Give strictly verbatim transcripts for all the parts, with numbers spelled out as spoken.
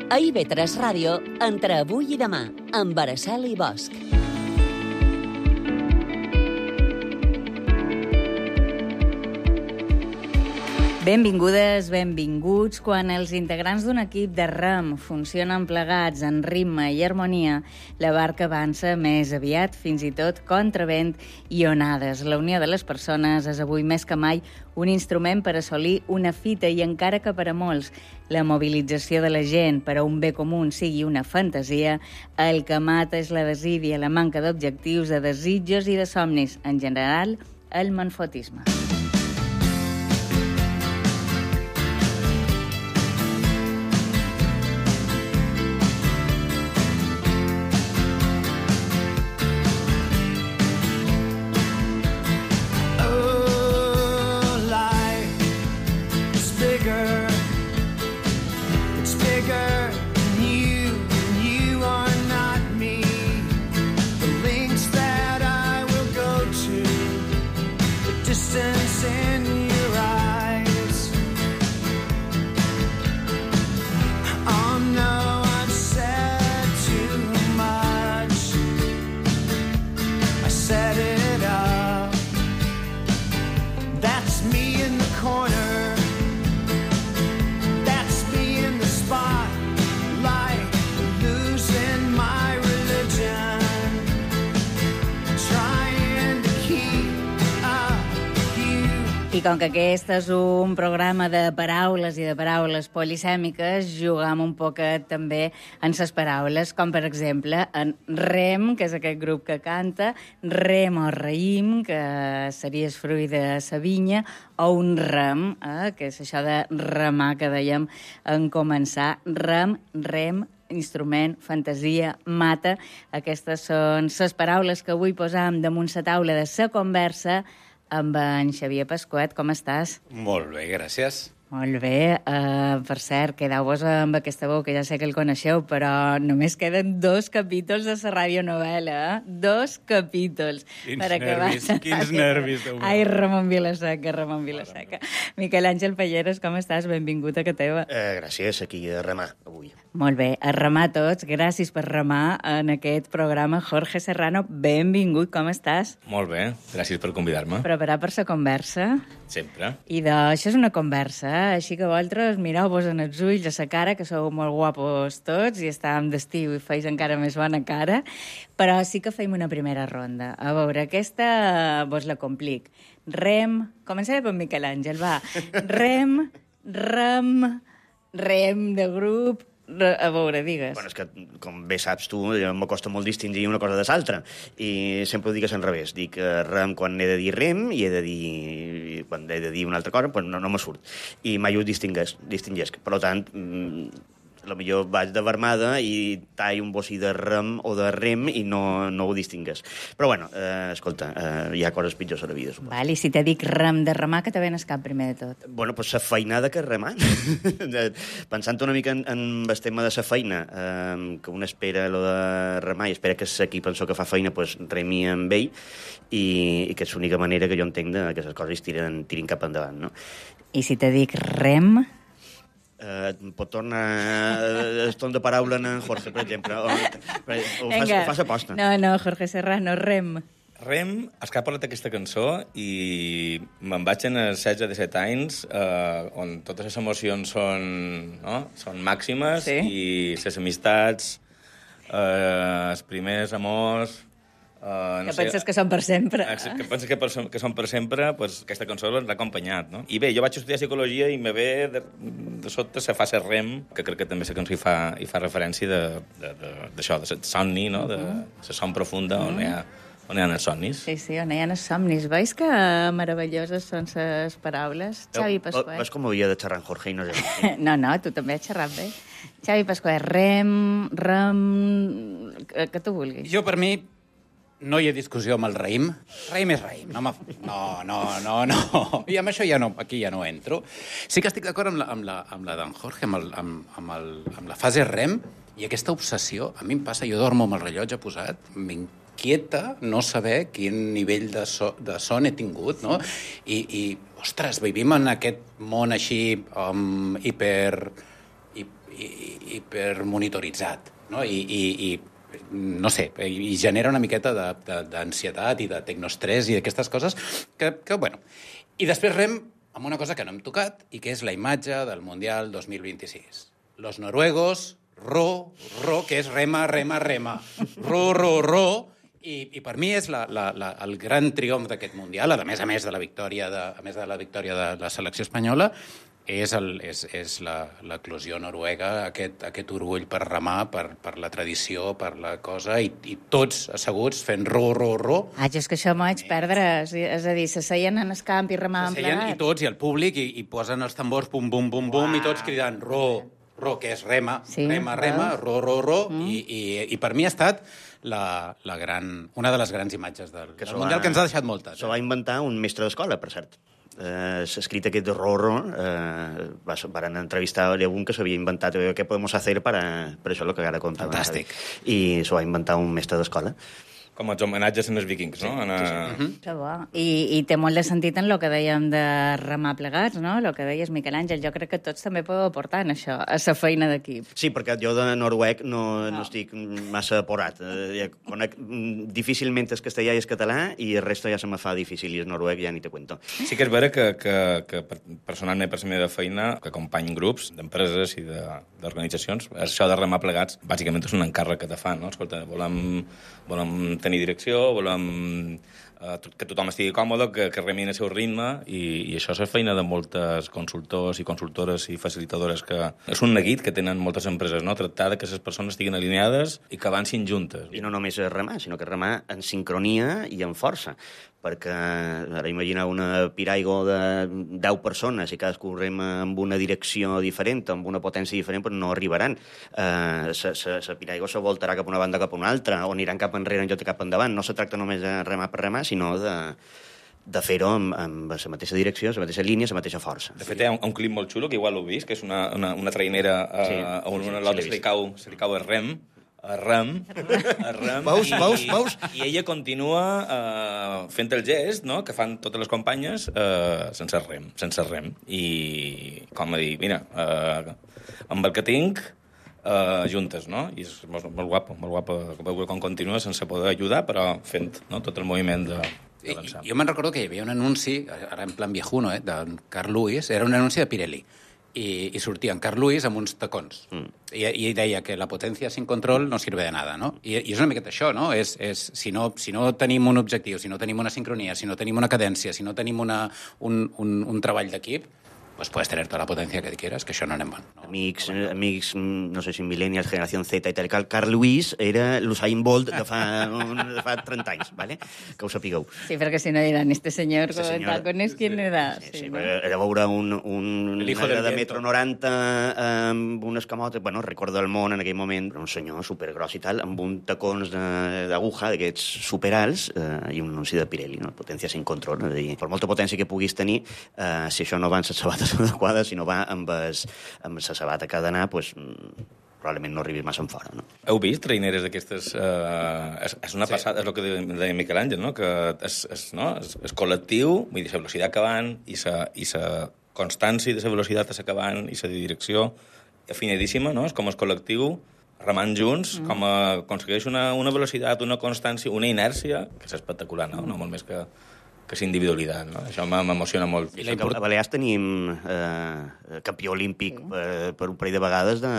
A I V tres Ràdio, entre avui i demà, amb Araceli Bosch. Benvingudes, benvinguts. Quan els integrants d'un equip de rem funcionen plegats en ritme i harmonia, la barca avança més aviat, fins i tot contra vent i onades. La unió de les persones és avui més que mai un instrument per assolir una fita i encara que per a molts la mobilització de la gent per a un bé comú sigui una fantasia, el que mata és la desídia, la manca d'objectius, de desitjos i de somnis. En general, el manfotisme. I com que aquest és un programa de paraules i de paraules polisèmiques, jugam un poquet també en les paraules, com per exemple en rem, que és aquest grup que canta, rem o raïm, que seria el fruit de sa vinya, o un rem, eh, que és això de remar que dèiem en començar. Rem, rem, instrument, fantasia, mata. Aquestes són les paraules que avui posam damunt la taula de la conversa amb en Xavier Pasquet. Com estàs? Molt bé, gràcies. Molt bé. Uh, per cert, quedeu-vos amb aquesta veu, que ja sé que el coneixeu, però només queden dos capítols de la radionovel·la, eh? Dos capítols. Quins nervis, quins nervis. Ai, Ramon Vilaseca, Ramon Vilaseca. Miquel Àngel Palleres, com estàs? Benvingut a que teva. Eh, gràcies, aquí a remar, avui. Molt bé, a remar tots. Gràcies per remar en aquest programa. Jorge Serrano, benvingut, com estàs? Molt bé, gràcies per convidar-me. Preparat per la conversa? Sempre. I d'això és una conversa, eh? Així que vosaltres mireu-vos en els ulls, a la cara, que sou molt guapos tots, i estàvem d'estiu i feis encara més bona cara, però sí que feim una primera ronda. A veure, aquesta vos la complic. Rem, començaré per Miquel Àngel, va. Rem, rem, rem de grup, a veure, digues. Bueno, és que, com bé saps tu, m'acosta molt distingir una cosa de l'altra. I sempre ho digues en revés. Dic rem quan he de dir rem i he de dir... quan he de dir una altra cosa, pues no, no me surt. I mai ho distinguesc. distinguesc. Per tant, potser vaig de vermada i tall un bocí de rem o de rem i no, no ho distingues. Però, bueno, eh, escolta, eh, hi ha coses pitjors a la vida, suposo. Val, i si te dic rem de remar, que te ven el cap primer de tot? Bueno, doncs la feinada que és remar. Pensant una mica en, en el tema de la feina, eh, que un espera lo de remar i espera que l'equip penso que fa feina, pues, remi amb ell, i, i que és l'única manera que jo entenc de que les coses tiren, tirin cap endavant, no? I si te dic rem... Uh, pot tornar el torn de paraula en Jorge, per exemple, o, o, fas, o fas aposta. No, no, Jorge Serrano, rem. Rem, és que ha parlat aquesta cançó i me'n vaig en els setze de set anys, eh, on totes les emocions són, no? són màximes, sí. I les amistats, eh, els primers amors... Uh, no que sé, penses que són per sempre. Que penses que, per, que són per sempre, pues, aquesta cançó l'ha acompanyat, no? I bé, jo vaig estudiar psicologia i me ve de, de sota la fase rem, que crec que també la cançó hi fa, hi fa referència d'això, de, de, de somni, no? De la son profunda on hi ha on hi ha els somnis. Sí, sí, on hi ha els somnis. Veus que meravelloses són les paraules? Xavi Pasquet. Veus com havia de xerrar en Jorge i no sé. No, no, tu també has xerrat bé. Xavi Pasquet, rem, rem... que, que tu vulguis. Jo, per mi, no hi ha discussió amb el raïm. Raïm és raïm. No, no, no, no, no. I amb això ja no, aquí ja no entro. Sí que estic d'acord amb la, amb la, amb la d'en Jorge, amb, el, amb, amb, el, amb la fase rem, i aquesta obsessió, a mi em passa, jo dormo amb el rellotge posat, m'inquieta no saber quin nivell de, so, de son he tingut, no? I, i ostres, vivim en aquest món així um, hiper... i hipermonitoritzat, no? I, i, i no sé, i genera una miqueta d'ansietat i de tecnoestrès i d'aquestes coses que, que, bueno... I després rem amb una cosa que no hem tocat i que és la imatge del Mundial dos mil vint-i-sis. Los noruegos, ro, ro, que és rema, rema, rema. Ro, ro, ro. I, i per mi és la, la, la, el gran triomf d'aquest Mundial, a més a més de la victòria de, a més de la victòria de la selecció espanyola, és, el, és, és l'eclosió noruega, aquest, aquest orgull per remar, per, per la tradició, per la cosa, i, i tots asseguts fent ro, ro, ro. Ah, jo és que això m'ho vaig perdre. És a dir, s'asseien en el camp i remaven plegats. I tots, i el públic, i, i posen els tambors, bum, bum, bum, bum, wow. I tots cridant ro, ro, que és rema, sí, rema, rema, ro, ro, ro, mm. i, i, i per mi ha estat la, la gran, una de les grans imatges del, del Mundial, va, que ens ha deixat moltes. S'ho va inventar un mestre d'escola, per cert. Eh, s'ha escrit aquest rorro, eh, van entrevistar a algun que s'havia inventat què podem fer per, a, per això el que ara contava. Fantàstic. I s'ho va inventar un mestre d'escola. Com els homenatges en els vikings, no? Sí, sí, sí. Uh-huh. Que bo. I, I té molt de sentit en el que dèiem de remar plegats, no? El que deies, Miquel Àngel. Jo crec que tots també podeu aportar en això, a la feina d'equip. Sí, perquè jo de noruec no, no. no estic massa aporat. Eh, conec difícilment el castellà i el català i el resto ja se me fa difícil i el noruec ja ni te cuento. Sí que és vera que, que, que personalment per la meva feina, que acompany grups d'empreses i d'organitzacions, això de remar plegats bàsicament és un encàrrec que te fan, no? Escolta, volem, volem tenir direcció, volem eh, que tothom estigui còmode, que, que remin el seu ritme, i, i això és la feina de moltes consultors i consultores i facilitadores, que és un neguit que tenen moltes empreses, no? Tractar que les persones estiguin alineades i que avancin juntes. I no només remar, sinó que remar en sincronia i en força, perquè ara imagina una piraigo de deu persones i cadascú rema amb una direcció diferent, amb una potència diferent, però no arribaran. Eh, la piraigo se voltarà cap a una banda cap a una altra, o aniran cap enrere en lloc de cap endavant. No se tracta només de remar per remar, sinó de, de fer-ho amb, amb la mateixa direcció, la mateixa línia, la mateixa força. De fet, hi ha un, un clip molt xulo, que igual l'heu vist, que és una, una, una trainera a, sí, a una, sí, una l'altra sí, se, li cau, se li cau el rem, a rem, a rem, veus, i, veus, veus? I ella continua uh, fent el gest, no?, que fan totes les companyes uh, sense rem, sense rem. I com a dir, mira, uh, amb el que tinc, uh, juntes, no? I és molt, molt guapo, molt guapo com continua sense poder ajudar, però fent, no?, tot el moviment de... I, jo me'n recordo que hi havia un anunci, ara en plan viejuno, eh, de Carl Lewis, era un anunci de Pirelli, i, i sortia en Carl Lewis amb uns tacons. Mm. I, I deia que la potència sin control no sirve de nada, no? I, i és una miqueta això, no? És, és, si no? Si no tenim un objectiu, si no tenim una sincronia, si no tenim una cadència, si no tenim una, un, un, un treball d'equip, pues puedes tener toda la potencia que quieras, que això no anem bon. No, amics, no amics, no sé si millennials, generació Z i tal, Carl Lewis era l'Usain Bolt de fa, de fa trenta anys, ¿vale? Que ho sapigueu. Sí, perquè si no diran, este senyor con este tacones, ¿quién era? Sí, sí, sí, no? Era veure un, un negre de metro noranta amb unes camotes, bueno, recordo el món en aquell moment, un senyor supergros i tal, amb un tacons d'aguja, d'aquests superalts, eh, i un anunci de Pirelli, no? Potència sin control, és a dir, per molta potència que puguis tenir, eh, si això no va en les sabates adequada, si no va amb, es, amb la sabata que ha d'anar, pues, probablement no arribis massa en fora. No? Heu vist traineres d'aquestes? Eh, és, és una passada, sí. És el que deia Miquel Àngel, no? Que és, és, no? és, és col·lectiu, vull dir, la velocitat que van i la i constància de la velocitat que s'acabant i la direcció afinadíssima, no? És com el col·lectiu remant junts, mm. com a, aconsegueix una, una velocitat, una constància, una inèrcia, que és espectacular, no? No molt més que que és individualitat, no? Això m'emociona molt. I import... A Balears tenim eh, campió olímpic sí. per, per un parell de vegades de,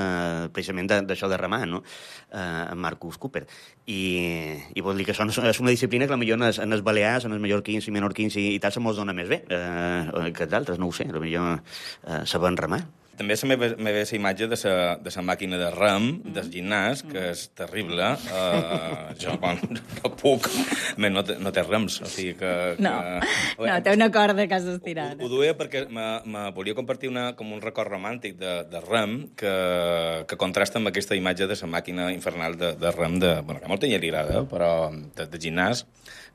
precisament d'això de, de remar, no? Eh, en Marcus Cooper. I, i vol dir que això és una disciplina que potser en els, en els balears, en els mallorquins i menorquins i, i tal, se mos dona més bé eh, que d'altres, no ho sé. Potser eh, saben remar. També se me ve la imatge de la de sa màquina de rem, del gimnàs, que és terrible. Uh, jo, quan no puc, no, té, no té rems. O sigui que, que... No, no, té una corda que has d'estirar. Ho, ho duia perquè me, me volia compartir una, com un record romàntic de, de rem que, que contrasta amb aquesta imatge de la màquina infernal de, de rem, de, bueno, que a molta gent li agrada, però de, de gimnàs,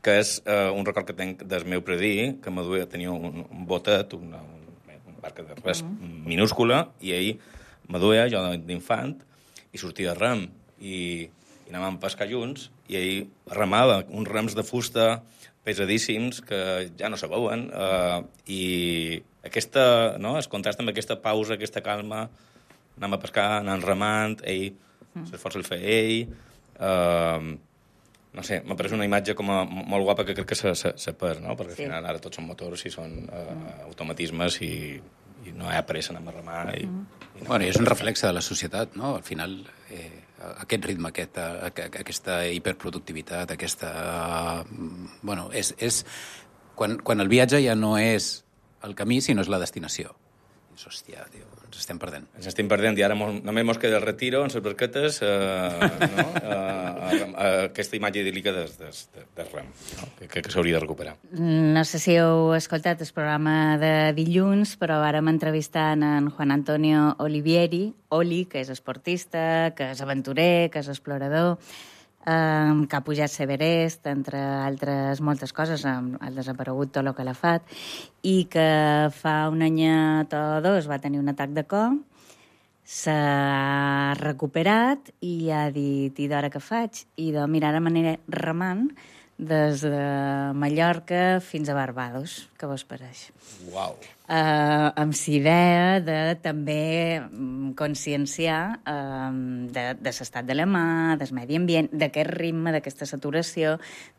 que és uh, un record que tenc del meu predí, que me duia, tenia un, un botet, una, barca de res mm. minúscula, i ell me duia, jo d'infant, i sortia de rem, i, i anàvem a pescar junts, i ell remava uns rems de fusta pesadíssims que ja no se veuen, eh, i aquesta, no, es contrasta amb aquesta pausa, aquesta calma, anem a pescar, anem remant, ell s'esforça el fer ell... Uh, no sé, m'ha pareix una imatge com a molt guapa que crec que se, se, se perd, no? Perquè sí. Al final ara tots són motors i són uh, mm. automatismes i, i no hi ha pressa, anem a remar. I, mm. i no bueno, i és un reflexe de la societat, no? Al final, eh, aquest ritme, aquest, aquesta hiperproductivitat, aquesta... Uh, bueno, és... és quan, quan el viatge ja no és el camí, sinó és la destinació. És, hòstia, tio, ens estem perdent. Ens estem perdent i ara mos, només mos queda el retiro en les barquetes, eh, no? eh, eh, aquesta imatge idíl·lica de, de, de, de rem, no? que, que, que s'hauria de recuperar. No sé si heu escoltat el programa de dilluns, però vàrem entrevistant en Juan Antonio Olivieri, Oli, que és esportista, que és aventurer, que és explorador, Um, que ha pujat Everest, entre altres moltes coses, um, el desaparegut Tolo Calafat, i que fa un anyet o dos va tenir un atac de cor, s'ha recuperat i ha dit, i d'hora que faig? I de mirar ara m'aniré remant des de Mallorca fins a Barbados. Què vos pareix? Uau! Uh, amb l'idea de també conscienciar uh, de, de l'estat de la mà, del medi ambient, d'aquest ritme, d'aquesta saturació,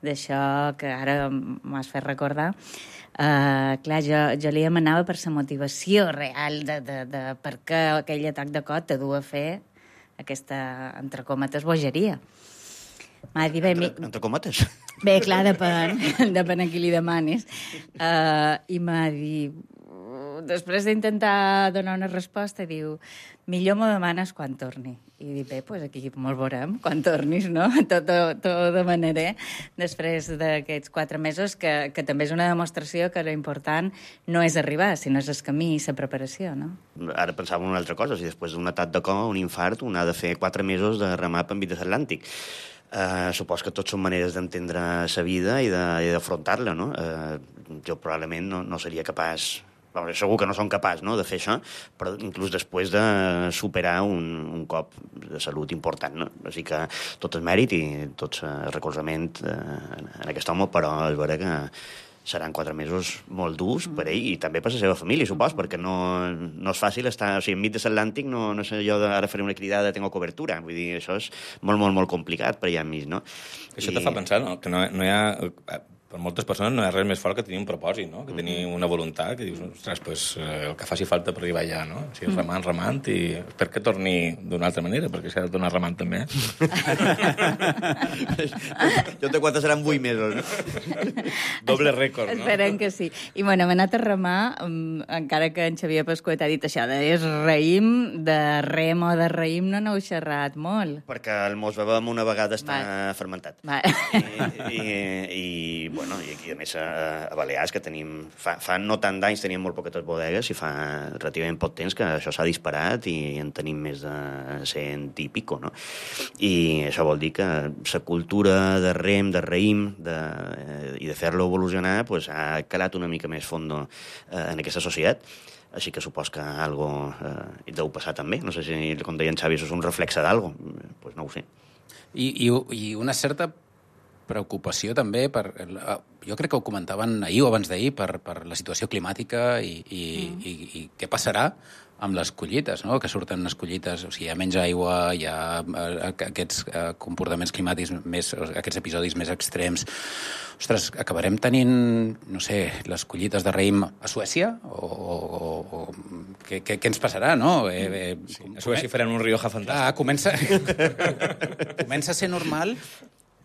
d'això que ara m'has fet recordar. Uh, clar, jo, jo li demanava per la motivació real de, de, de per què aquell atac de cor te du a fer aquesta, entre cometes, bogeria. M'ha dit, bé, entre, entre cometes? Bé, clar, depèn, depèn a qui li demanis. Uh, I m'ha dit, després d'intentar donar una resposta, diu, millor m'ho demanes quan torni. I dic, bé, doncs aquí molt veurem, quan tornis, no? Tot, tot, tot demanaré després d'aquests quatre mesos, que, que també és una demostració que l'important no és arribar, sinó és el camí i la preparació, no? Ara pensava en una altra cosa, si després d'un atac de cor, un infart, un ha de fer quatre mesos de remar per enmig de l'Atlàntic. Uh, supos que tots són maneres d'entendre la vida i d'afrontar-la, no? Uh, jo probablement no, no seria capaç... Bueno, segur que no som capaç, no?, de fer això, però inclús després de superar un, un cop de salut important, no? Així que tot el mèrit i tot el recolzament eh, en aquest home, però és vera que seran quatre mesos molt durs per ell i també per la seva família, supos, perquè no, no és fàcil estar... O sigui, enmig de l'Atlàntic no, no sé jo d'ara faré una cridada, tengo cobertura. Vull dir, això és molt, molt, molt complicat per allà enmig, no? Això I... te fa pensar, no?, que no, no hi ha... Per moltes persones no hi ha res més fort que tenir un propòsit, no? Que tenir una voluntat, que dius, ostres, pues, eh, el que faci falta per arribar allà, no? O sigui, remant, remant, i espero que torni d'una altra manera, perquè s'ha de tornar remant també. Jo te quatre seran vuit mesos, no? Doble rècord, no? Esperem que sí. I, bueno, hem anat a remar, um, encara que en Xavier Pasquet ha dit això de és raïm, de rem o de raïm no n'heu xerrat molt. Perquè el mos bevem una vegada està Va. fermentat. Va. I, i, i bueno, i aquí a més a, a Balears, que tenim, fa, fa no tant d'anys teníem molt poquetes bodegues i fa relativament poc temps que això s'ha disparat i en tenim més de cent i pico, no? I això vol dir que la cultura de rem, de raïm de, eh, i de fer-lo evolucionar pues, ha calat una mica més fondo eh, en aquesta societat. Així que supos que algo eh, hi deu passar també. No sé si, com deia en Xavi, això és un reflexe d'algo. Pues no ho sé. I, i, i una certa preocupació també per... Jo crec que ho comentaven ahir o abans d'ahir per, per la situació climàtica i, i, mm. i, i què passarà amb les collites, no? Que surten les collites, o sigui, hi ha menys aigua, hi ha aquests comportaments climàtics més, aquests episodis més extrems. Ostres, acabarem tenint, no sé, les collites de raïm a Suècia? O, o, o què, què, què ens passarà, no? Eh, eh, sí, a Suècia faran un Rioja fantàstic. Ah, comença, comença a ser normal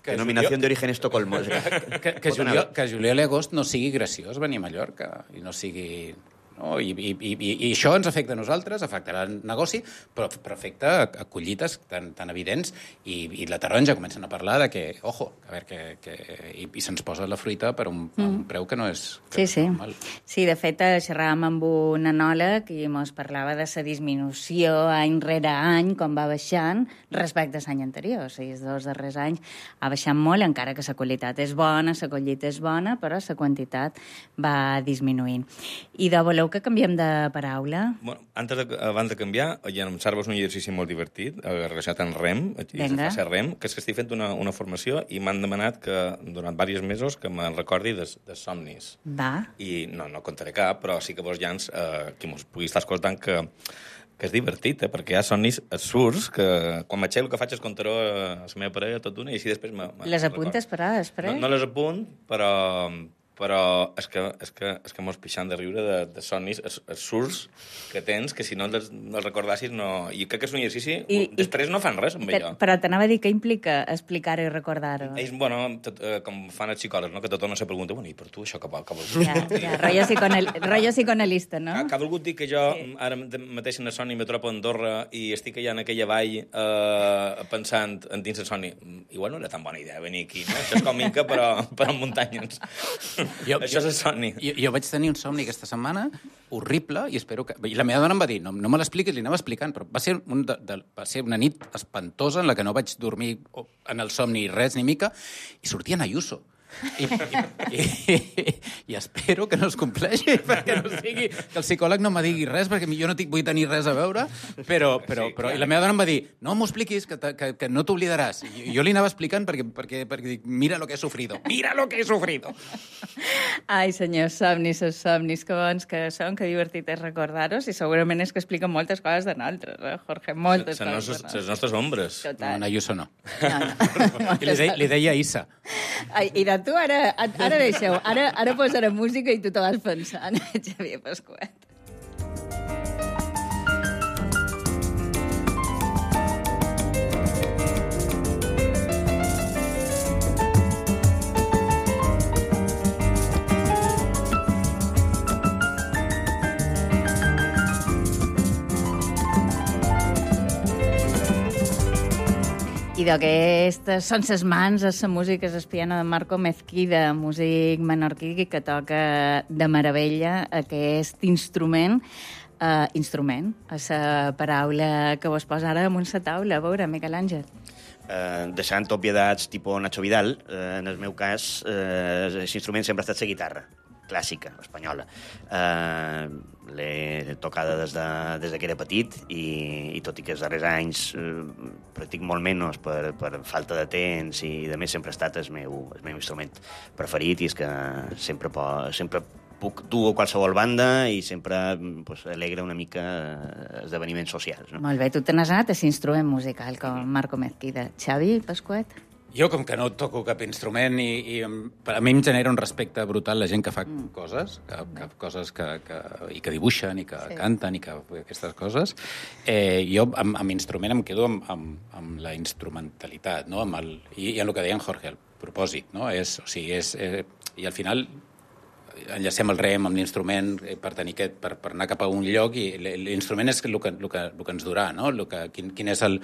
que Denominació juliol... d'origen Estocolmo. Que, que, que, juliol, que juliol i agost no sigui graciós venir a Mallorca i no sigui... No? I, i, i, I això ens afecta a nosaltres, afectarà el negoci, però, però afecta a, a collites tan, tan evidents i, i la taronja comencen a parlar de que, ojo, a veure, que, que, i, i se'ns posa la fruita per un, mm. un preu que no és, que sí, és sí. normal. Sí, de fet, xerràvem amb un anòleg i ens parlava de la disminució any rere any, com va baixant, respecte a l'any anterior. O sigui, els dos darrers anys ha baixat molt, encara que la qualitat és bona, la collita és bona, però la quantitat va disminuint. I de voleu que canviem de paraula? Bueno, antes de, abans de canviar, ja em serveix un exercici molt divertit, relacionat amb rem, Venga. a rem, que és que estic fent una, una formació i m'han demanat que, durant diversos mesos, que me'n recordi de, de somnis. Va. I no, no contaré cap, però sí que vos llans, eh, qui mos pugui estar escoltant, que que és divertit, eh? Perquè hi ha somnis absurds que quan m'aixeco el que faig és contar-ho a la meva parella tot una i així després... Me, me les apuntes per ara, després? No, no les apunt, però... però és que, és que, és que mos pixant de riure de, de somnis absurds que tens, que si no els, no els recordassis no... I crec que és un exercici... I, després i, no fan res amb allò. Però t'anava a dir què implica explicar-ho i recordar-ho. Ells, bueno, tot, eh, com fan els psicòlegs, no? Que tothom se pregunta, bueno, i per tu això què vol, què vol dir? Ja, ja, rotllo, psiconal, rotllo psicoanalista, no? Que ha volgut dir que jo sí. ara mateix en el somni me trobo a Andorra i estic allà en aquella vall eh, pensant en dins el somni. Igual no era tan bona idea venir aquí, no? Això és com Inca, però, però en muntanyes. Jo, això és el somni. Jo, jo vaig tenir un somni aquesta setmana horrible i espero que... I la meva dona em va dir, no, no me l'expliquis, li anava explicant, però va ser, un de, de, va ser una nit espantosa en la que no vaig dormir en el somni res ni mica i sortia en Ayuso. I, i, i, i espero que no es compleixi, perquè no sigui que el psicòleg no me digui res, perquè jo no tinc, vull tenir res a veure, però, però, però i la meva dona em va dir, no m'ho expliquis, que, que, que no t'oblidaràs. I jo li anava explicant perquè, perquè, perquè dic, mira lo que he sufrido, mira lo que he sufrido. Ai, senyors, somnis, els somnis, que bons que són, que divertit és recordar-los, i segurament és que expliquen moltes coses de nosaltres, eh, Jorge, moltes coses. Nostres, les nostres ombres. No, en Ayuso no. no, no. I li, de, li deia Issa. Ai, i de tu ara, ara deixeu, ara, ara posaré música i tu te vas pensant, Xavier Pasquet. I d'aquestes són ses mans, és la música, és el piano de Marco Mezquida, músic menorquí que toca de meravella aquest instrument. Uh, instrument, és la paraula que vos posa ara damunt la taula. A veure, Miquel Àngel. Uh, deixant obviedats tipus Nacho Vidal, uh, en el meu cas, uh, l'instrument sempre ha estat la guitarra clàssica, espanyola. Uh, L'he tocada des de, des de que era petit i, i tot i que els darrers anys uh, practic molt menys per, per falta de temps i de més sempre ha estat el meu, el meu instrument preferit i és que sempre, po, sempre puc dur a qualsevol banda i sempre pues, alegra una mica esdeveniments socials. No? Molt bé, tu te n'has anat a l'instrument musical com Marco Mezquida. Xavi Pasquet? Jo, com que no toco cap instrument, i, i a mi em genera un respecte brutal la gent que fa mm. coses, que, que, coses que, que, i que dibuixen, i que sí. canten, i que aquestes coses. Eh, jo, amb, amb instrument, em quedo amb, amb, amb la instrumentalitat, no? Amb el, i, i en el que deia en Jorge, el propòsit, no? És, o sigui, és, eh, i al final enllacem el rem amb l'instrument per, tenir aquest, per, per anar cap a un lloc i l'instrument és el que, el que, el que ens durà, no? El que, quin, quin, és el,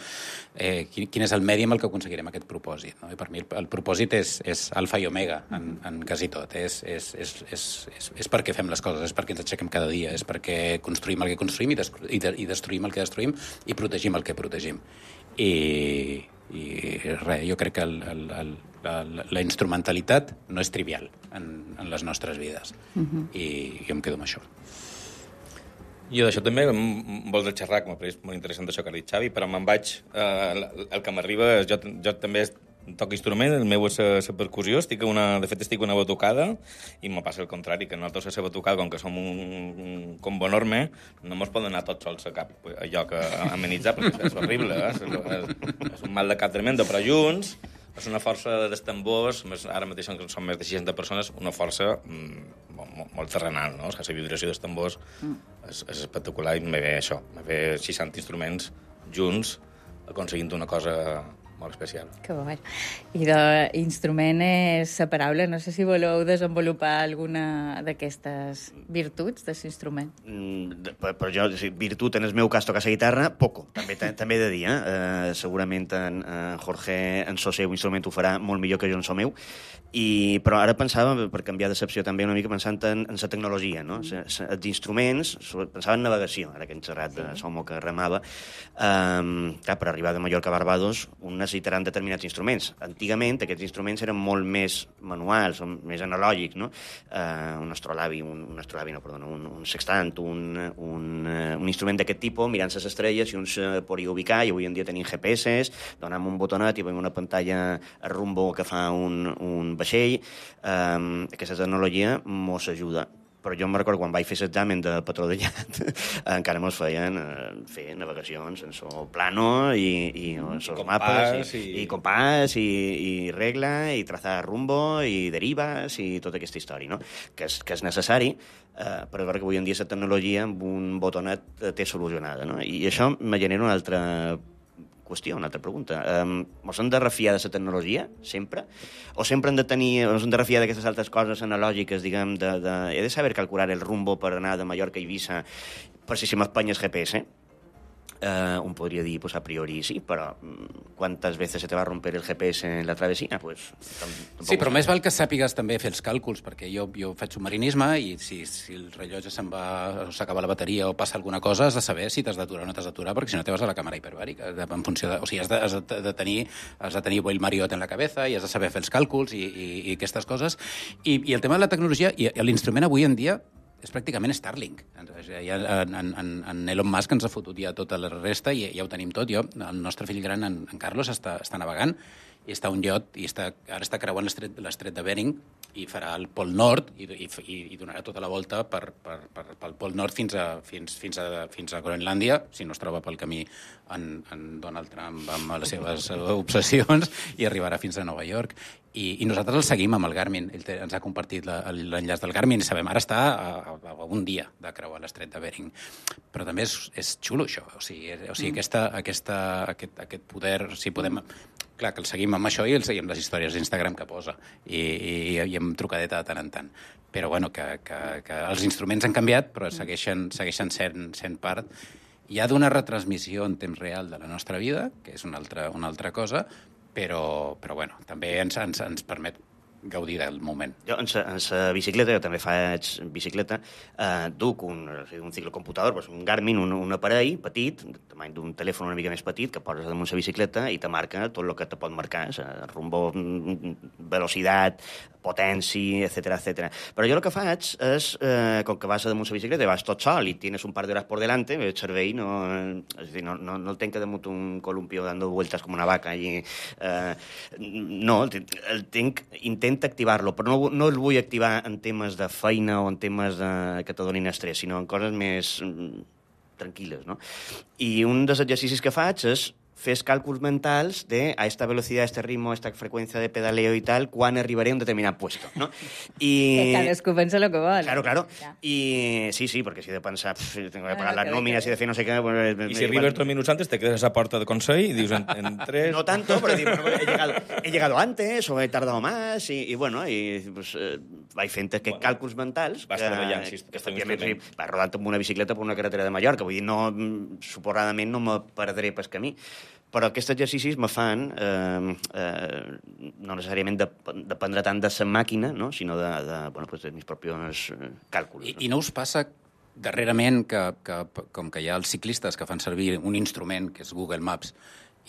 eh, quin, quin és el medi amb el que aconseguirem aquest propòsit. No? I per mi el, el propòsit és, és alfa i omega en, en quasi tot. És, és, és, és, és, és perquè fem les coses, és perquè ens aixequem cada dia, és perquè construïm el que construïm i, des, i, de, i destruïm el que destruïm i protegim el que protegim. I, i res, jo crec que el, el, el, la, la instrumentalitat no és trivial en, en les nostres vides. Uh-huh. I jo em quedo amb això. Jo d'això també em vols xerrar, que m'ha pareix molt interessant això que ha dit Xavi, però me'n vaig... Eh, el que m'arriba... Jo, jo també toco instrument, el meu és la percussió, estic una, de fet estic una batucada, i me passa el contrari, que nosaltres a la batucada, com que som un, un combo enorme, no mos poden anar tots sols a cap a lloc a amenitzar, perquè és horrible, eh? és, és, és un mal de cap tremendo, però junts és una força dels tambors, ara mateix són més de seixanta persones, una força mm, molt, molt terrenal, no? O sigui, la vibració dels tambors mm. és, és espectacular, i me ve això, me ve seixanta instruments junts aconseguint una cosa molt especial. Que bo. I d'instrument és la paraula. No sé si voleu desenvolupar alguna d'aquestes virtuts de l'instrument. Mm, però jo, virtut, en el meu cas, tocar la guitarra, poco. També, també he de dir, eh? Uh, segurament en, en Jorge, en so seu instrument, ho farà molt millor que jo en so meu. I, però ara pensava, per canviar d'excepció també una mica, pensant en, en la tecnologia, no? Mm. Els instruments, pensava en navegació, ara que hem xerrat de Somo que remava, um, clar, per arribar de Mallorca a Barbados, un necessitaran determinats instruments. Antigament, aquests instruments eren molt més manuals, més analògics, no? Uh, un astrolabi, un, un astrolabi, no, perdona, un, un sextant, un, un, uh, un instrument d'aquest tipus, mirant les estrelles, i uns uh, podia ubicar, i avui en dia tenim G P S, donem un botonet i veiem una pantalla a rumbo que fa un, un vaixell. Um, aquesta tecnologia mos ajuda. però jo em recordo quan vaig fer l'examen de patró de llat, encara mos feien eh, fer navegacions en so plano i, i en sos mapes, i, i... i compàs, i, i regla, i trazar rumbo, i derives, i tota aquesta història, no? Que és, que és necessari, eh, però és veritat que avui en dia la tecnologia amb un botonet té solucionada, no? I això me genera una altra qüestió, una altra pregunta. Um, mos hem de refiar de la tecnologia, sempre? O sempre hem de tenir, mos hem de refiar d'aquestes altres coses analògiques, diguem, de, de... He de saber calcular el rumbo per anar de Mallorca a Eivissa per si se m'espanya el G P S? Uh, un podria dir, pues a priori sí, però quantes veces se te va romper el G P S en la travessia? Pues, sí, però més val que sàpigues també fer els càlculs, perquè jo, jo faig submarinisme i si, si el rellotge se'n va, o s'acaba la bateria o passa alguna cosa, has de saber si t'has d'aturar o no t'has d'aturar, perquè si no te vas a la càmera hiperbàrica. En funció de, o sigui, has de, has de tenir, has de tenir el Mariot en la cabeza i has de saber fer els càlculs i, i, i aquestes coses. I, I el tema de la tecnologia, i l'instrument avui en dia és pràcticament Starlink. Ja, en, en, en Elon Musk ens ha fotut ja tota la resta i ja ho tenim tot. Jo, el nostre fill gran, en, en Carlos, està, està navegant i està a un iot i està, ara està creuant l'estret, l'estret de Bering i farà el Pol Nord i, i, i donarà tota la volta per, per, per, pel Pol Nord fins a, fins, fins, a, fins a Groenlàndia, si no es troba pel camí en, en Donald Trump amb les seves obsessions, i arribarà fins a Nova York. I, i nosaltres el seguim amb el Garmin. Ell te, ens ha compartit l'enllaç del Garmin i sabem, ara està a, a, a un dia de creuar l'estret de Bering. Però també és, és xulo, això. O sigui, o sigui aquesta, aquesta, aquest, aquest poder... O sigui, podem... Clar, que el seguim amb això i el seguim les històries d'Instagram que posa. I, i, i amb trucadeta de tant en tant. Però, bueno, que, que, que els instruments han canviat, però segueixen, segueixen sent, sent part ja d'una retransmissió en temps real de la nostra vida, que és una altra, una altra cosa, però, però bueno, també ens, ens, ens permet gaudir del moment. Jo, en la bicicleta, jo també faig bicicleta, eh, duc un, un ciclocomputador, doncs un Garmin, un, un aparell petit, tamany d'un telèfon una mica més petit, que poses damunt la bicicleta i te marca tot el que te pot marcar, el rumbo, velocitat, potència, etcètera, etcètera. Però jo el que faig és, eh, com que vas damunt la bicicleta i vas tot sol i tienes un par d'hores por delante, el cervell no, és dir, no, no, no el tenc damunt un columpio dando vueltas com una vaca. I, eh, no, el tenc, intento activar-lo, però no, no el vull activar en temes de feina o en temes de, que te donin estrès, sinó en coses més mm, tranquil·les, no? I un dels exercicis que faig és fer càlculs mentals de a esta velocidad, a este ritmo, a esta freqüència de pedaleo i tal, quan arribaré a un determinat puesto, no? I... Que cadascú pensa el que vol. Claro, claro. Ja. I sí, sí, perquè si he de pensar, pff, tengo que pagar ah, las nóminas i de fer no sé què... Pues, I si arribes dos minuts antes, te quedes a esa porta de Consell i dius en, en tres... No tanto, pero digo, bueno, he, llegado, he llegado antes o he tardado más i, i bueno, i pues, eh, vaig fent aquests bueno, càlculs mentals vas treballant, que, sí, que efectivament sí, vas rodant amb una bicicleta per una carretera de Mallorca, vull dir, no, suposadament no me perdré pel camí. Però aquests exercicis me fan eh, eh, no necessàriament de, dependre tant de la màquina, no? Sinó de, de, bueno, pues de mis propios càlculs. I, no? I no us passa darrerament que, que, com que hi ha els ciclistes que fan servir un instrument, que és Google Maps,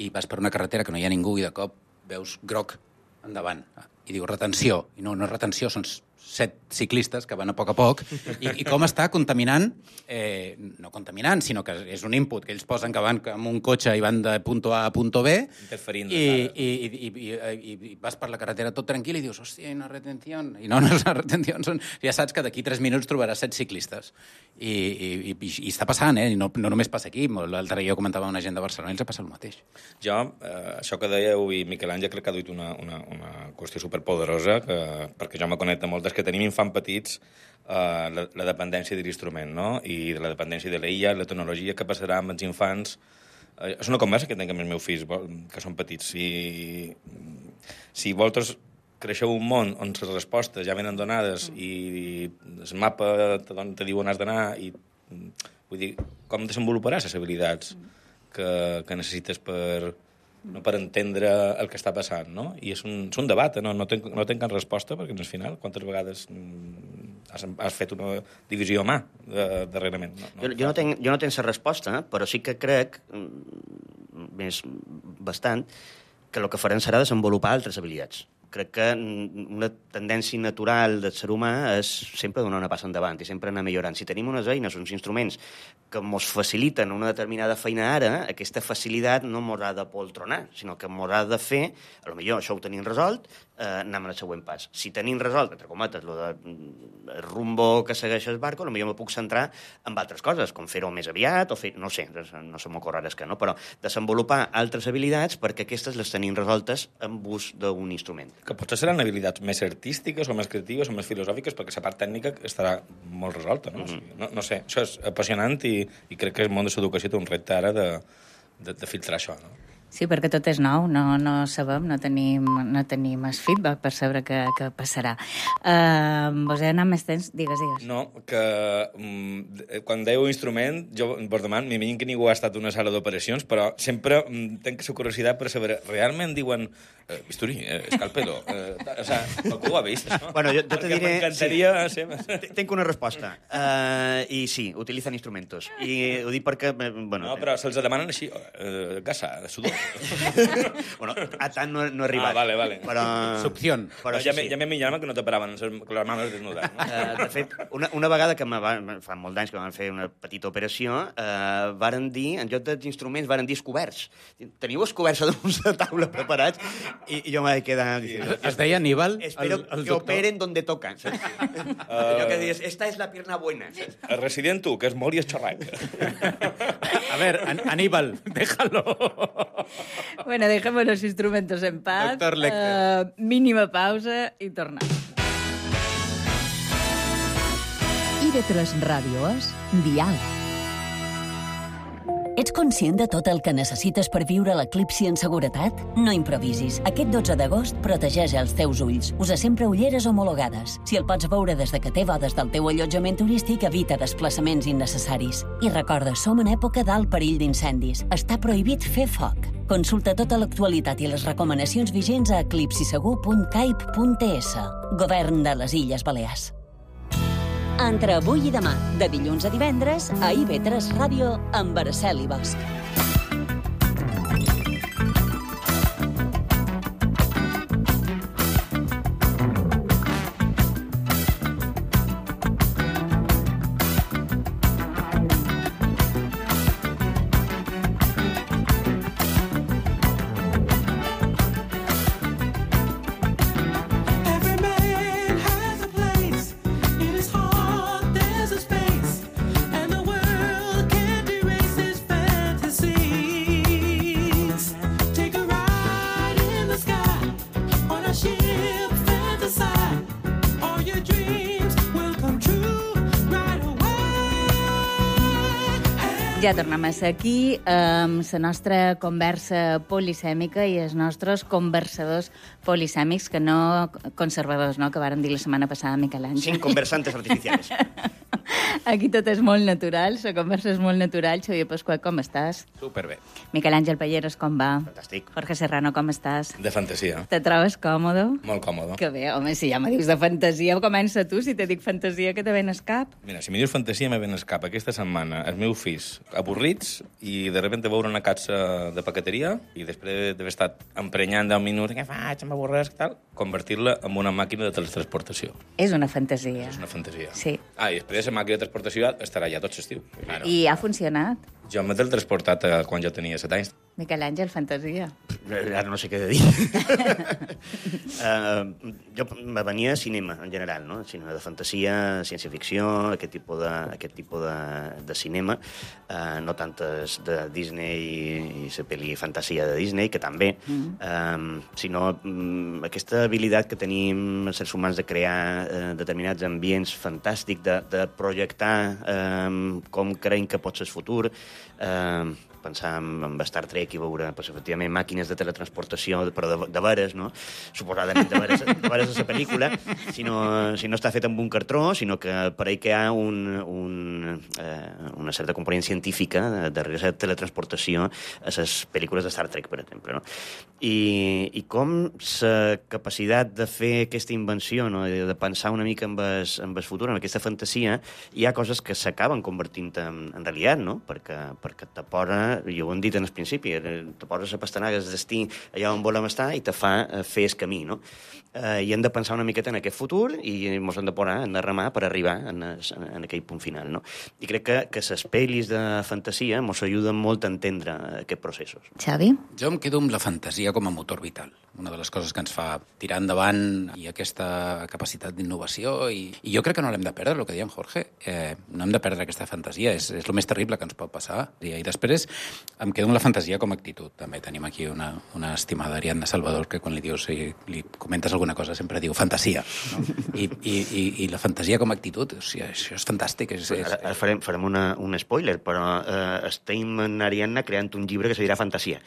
i vas per una carretera que no hi ha ningú i de cop veus groc endavant i diu retenció, i no, no és retenció, són set ciclistes que van a poc a poc, i, i com està contaminant, eh, no contaminant, sinó que és un input que ells posen que van amb un cotxe i van de punto A a punto B, interferint i, i, i, i, i, i vas per la carretera tot tranquil i dius, hòstia, hi ha una retenció, i no, no és una retenció, són... ja saps que d'aquí tres minuts trobaràs set ciclistes. I, i, i, i està passant, eh? I no, no només passa aquí, l'altre dia jo comentava amb una gent de Barcelona i els ha passat el mateix. Jo, eh, això que dèieu, i Miquel Àngel crec que ha dit una, una, una qüestió superpoderosa, que, perquè jo me connecto moltes que tenim infants petits, eh, la, la dependència de l'instrument, no? I de la dependència de l'I A, la tecnologia que passarà amb els infants. Eh, és una conversa que tinc amb els meus fills, que són petits. Si, si vosaltres creixeu un món on les respostes ja venen donades mm. i el mapa te, te diu on has d'anar, i vull dir, com desenvoluparàs les habilitats que, que necessites per... no per entendre el que està passant, no? I és un, és un debat, eh? no, no, tenc, no tenc cap resposta, perquè al final, quantes vegades has, has fet una divisió a mà de, darrerament? No, no, jo, jo, no tenc, jo no tenc la resposta, però sí que crec, més bastant, que el que farem serà desenvolupar altres habilitats crec que una tendència natural del ser humà és sempre donar una passa endavant i sempre anar millorant. Si tenim unes eines, uns instruments que ens faciliten una determinada feina ara, aquesta facilitat no ens ha de poltronar, sinó que ens ha de fer, a lo millor això ho tenim resolt, eh, anem al següent pas. Si tenim resolt, entre cometes, lo de el rumbo que segueix el barco, a lo millor me puc centrar en altres coses, com fer-ho més aviat, o fer, no sé, no se m'ocorre res que no, però desenvolupar altres habilitats perquè aquestes les tenim resoltes amb ús d'un instrument. Que potser seran habilitats més artístiques o més creatives o més filosòfiques, perquè la part tècnica estarà molt resolta, no? Mm -hmm. O sigui, no, no sé, això és apassionant i, i crec que el món de l'educació té un repte ara de, de, de filtrar això, no? Sí, perquè tot és nou, no, no sabem, no tenim, no tenim el feedback per saber què, què passarà. Uh, vos he anat més temps? Digues, digues. No, que um, quan dèieu instrument, jo vos demano, m'imagino que ningú ha estat a una sala d'operacions, però sempre um, tenc la curiositat per saber, realment diuen eh, bisturí, eh, escalpelo, eh, o sea, algú ho ha vist, això? Bueno, jo, jo te diré... M'encantaria... Sí. Tenc una resposta. Uh, I sí, utilitzen instrumentos. I ho dic perquè... Bueno, no, però se'ls demanen així, eh, gasa, sudor. Bueno, a tant no, no he arribat. Ah, vale, vale. Però... Succión. Però ja, sí. ja m'he mirat que no te paraven les mans desnudades. No? Uh, de fet, una, una vegada que va, fa molt d'anys que vam fer una petita operació, uh, varen dir, en lloc dels instruments, varen dir escoberts. Teniu escoberts damunt de taula preparats? I, i jo m'he quedat... Es deia Aníbal? Espero el, el que operen donde tocan. Saps? Uh... Allò que dius, esta es la pierna buena. Saps? El resident tu, que és molt i esxorrac. A ver, An Aníbal, déjalo. Bueno, dejemos los instrumentos en paz. Doctor Lecter. Uh, mínima pausa i tornem. I de tres Ràdio és Dial. Ets conscient de tot el que necessites per viure l'eclipsi en seguretat? No improvisis. Aquest dotze d'agost protegeix els teus ulls. Usa sempre ulleres homologades. Si el pots veure des de que té bodes del teu allotjament turístic, evita desplaçaments innecessaris. I recorda, som en època d'alt perill d'incendis. Està prohibit fer foc. Consulta tota l'actualitat i les recomanacions vigents a eclipsisegur punt caip punt es. Govern de les Illes Balears. Entre avui i demà, de dilluns a divendres, a I V tres Ràdio, amb Araceli Bosch. Ja tornem a ser aquí amb la nostra conversa polisèmica i els nostres conversadors polisèmics, que no conservadors, no? Que vàrem dir la setmana passada, Miquel Àngel. Sin conversantes artificiales. Aquí tot és molt natural, la conversa és molt natural. Xavier Pasqual, com estàs? Superbé. Miquel Àngel Palleros, com va? Fantàstic. Jorge Serrano, com estàs? De fantasia. Te trobes còmode? Molt còmode. Que bé, home, si ja me dius de fantasia, comença tu. Si te dic fantasia, que te ven escap. Mira, si me dius fantasia, me ven escap. Aquesta setmana, els meus fills avorrits i de repente veure una caixa de paqueteria i després d'haver estat emprenyant deu minuts, què faig, m'avorresc, tal, convertir-la en una màquina de teletransportació. És una fantasia. És una fantasia. Sí. Ah, i després la màquina de transportació estarà ja tot l'estiu. Bueno. I ha funcionat? Jo m'he teletransportat eh, quan jo tenia set anys. Miquel Àngel, fantasia. Ara no sé què he de dir. uh, jo me venia a cinema, en general, no? Cinema de fantasia, ciència-ficció, aquest tipus de, aquest tipus de, de cinema. Uh, no tantes de Disney i, i la pel·li fantasia de Disney, que també, mm. um, sinó um, aquesta habilitat que tenim els éssers humans de crear uh, determinats ambients fantàstics, de, de projectar um, com creiem que pot ser el futur, uh, pensar en, en Star Trek i veure, pues, efectivament, màquines de teletransportació, però de, de veres, no? Suposadament de veres, de veres a la pel·lícula, si no, si no està fet amb un cartró, sinó que per ahí que hi ha un, un, eh, una certa component científica darrere la teletransportació a les pel·lícules de Star Trek, per exemple, no? I, i com la capacitat de fer aquesta invenció, no? de, de pensar una mica en el, en el futur, en aquesta fantasia, hi ha coses que s'acaben convertint en, en realitat, no? Perquè, perquè t'aposa fa, i ho hem dit en el principi, te poses a pastanaga el destí allà on volem estar i te fa fer el camí, no? Eh, I hem de pensar una miqueta en aquest futur i ens hem de posar, hem de remar per arribar en, es, en aquell punt final, no? I crec que, que les pel·lis de fantasia ens ajuden molt a entendre aquests processos. Xavi? Jo em quedo amb la fantasia com a motor vital. Una de les coses que ens fa tirar endavant i aquesta capacitat d'innovació, i, i jo crec que no l'hem de perdre, el que deia en Jorge. Eh, no hem de perdre aquesta fantasia, és, és el més terrible que ens pot passar. I, i després em quedo amb la fantasia com a actitud. També tenim aquí una, una estimada Ariadna Salvador que quan li dius i li comentes alguna cosa sempre diu fantasia. No? I, i, i, I la fantasia com a actitud, o sigui, això és fantàstic. És, és, ara, ara farem, farem una, un spoiler, però eh, estem en Ariadna creant un llibre que se dirà Fantasia,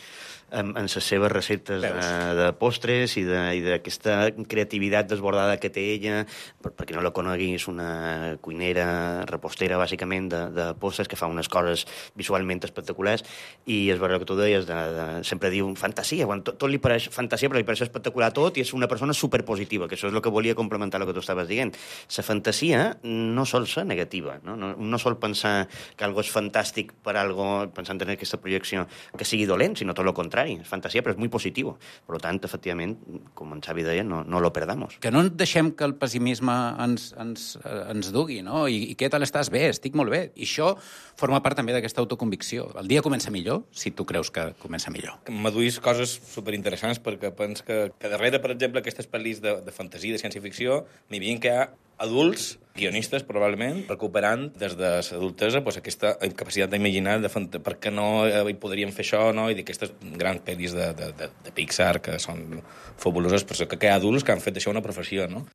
amb, amb les seves receptes de, de postres i d'aquesta creativitat desbordada que té ella. Per, per qui no la conegui, és una cuinera, repostera, bàsicament, de, de postres, que fa unes coses visualment espectaculars, i és veritat que tu deies, de, de, sempre diu fantasia, quan tot, tot li pareix fantasia, però li pareix espectacular tot, i és una persona superpositiva, que això és el que volia complementar el que tu estaves dient. La fantasia no sol ser negativa, no? No, no sol pensar que algo és fantàstic per algo, pensant en aquesta projecció, que sigui dolent, sinó tot el contrari. És fantasia, però és molt positiu. Per tant, efectivament, com en Xavi deia, no, no lo perdamos. Que no deixem que el pessimisme ens, ens, ens dugui, no? I, I què tal estàs? Bé, estic molt bé. I això forma part també d'aquesta autoconvicció. El dia comença millor si tu creus que comença millor. M'aduís coses superinteressants perquè penso que, que darrere, per exemple, aquestes pel·lis de, de fantasia, de ciència-ficció, m'hi veien que hi ha adults, guionistes, probablement, recuperant des de l'adultesa pues, aquesta capacitat d'imaginar de fant- per què no hi podríem fer això, no? I d'aquestes grans pel·lis de, de, de, de Pixar que són fabuloses, però que hi ha adults que han fet això una professió, no?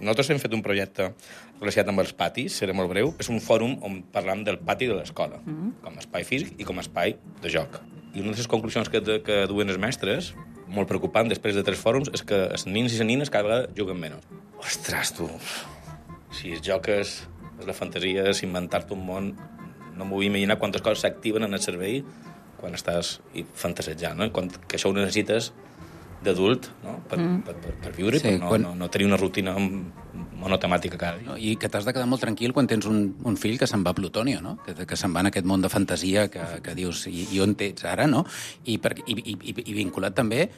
Nosaltres hem fet un projecte relacionat amb els patis, serà molt breu. És un fòrum on parlam del pati de l'escola, mm-hmm. com a espai físic i com a espai de joc. I una de les conclusions que, que duen els mestres, molt preocupant després de tres fòrums, és que els nins i les nines cada vegada juguen menys. Ostres, tu, si el joc és, és la fantasia, és inventar-te un món, no m'ho vull imaginar quantes coses s'activen en el cervell quan estàs fantasejant, no? Quan, que això ho necessites d'adult, no? Per, mm. per, per, per viure, sí, per no, quan... no, no tenir una rutina monotemàtica cada dia. No, I que t'has de quedar molt tranquil quan tens un, un fill que se'n va a Plutonio, no? Que, que se'n va en aquest món de fantasia que, que dius, i, i on ets ara, no? I, per, i, i, i vinculat també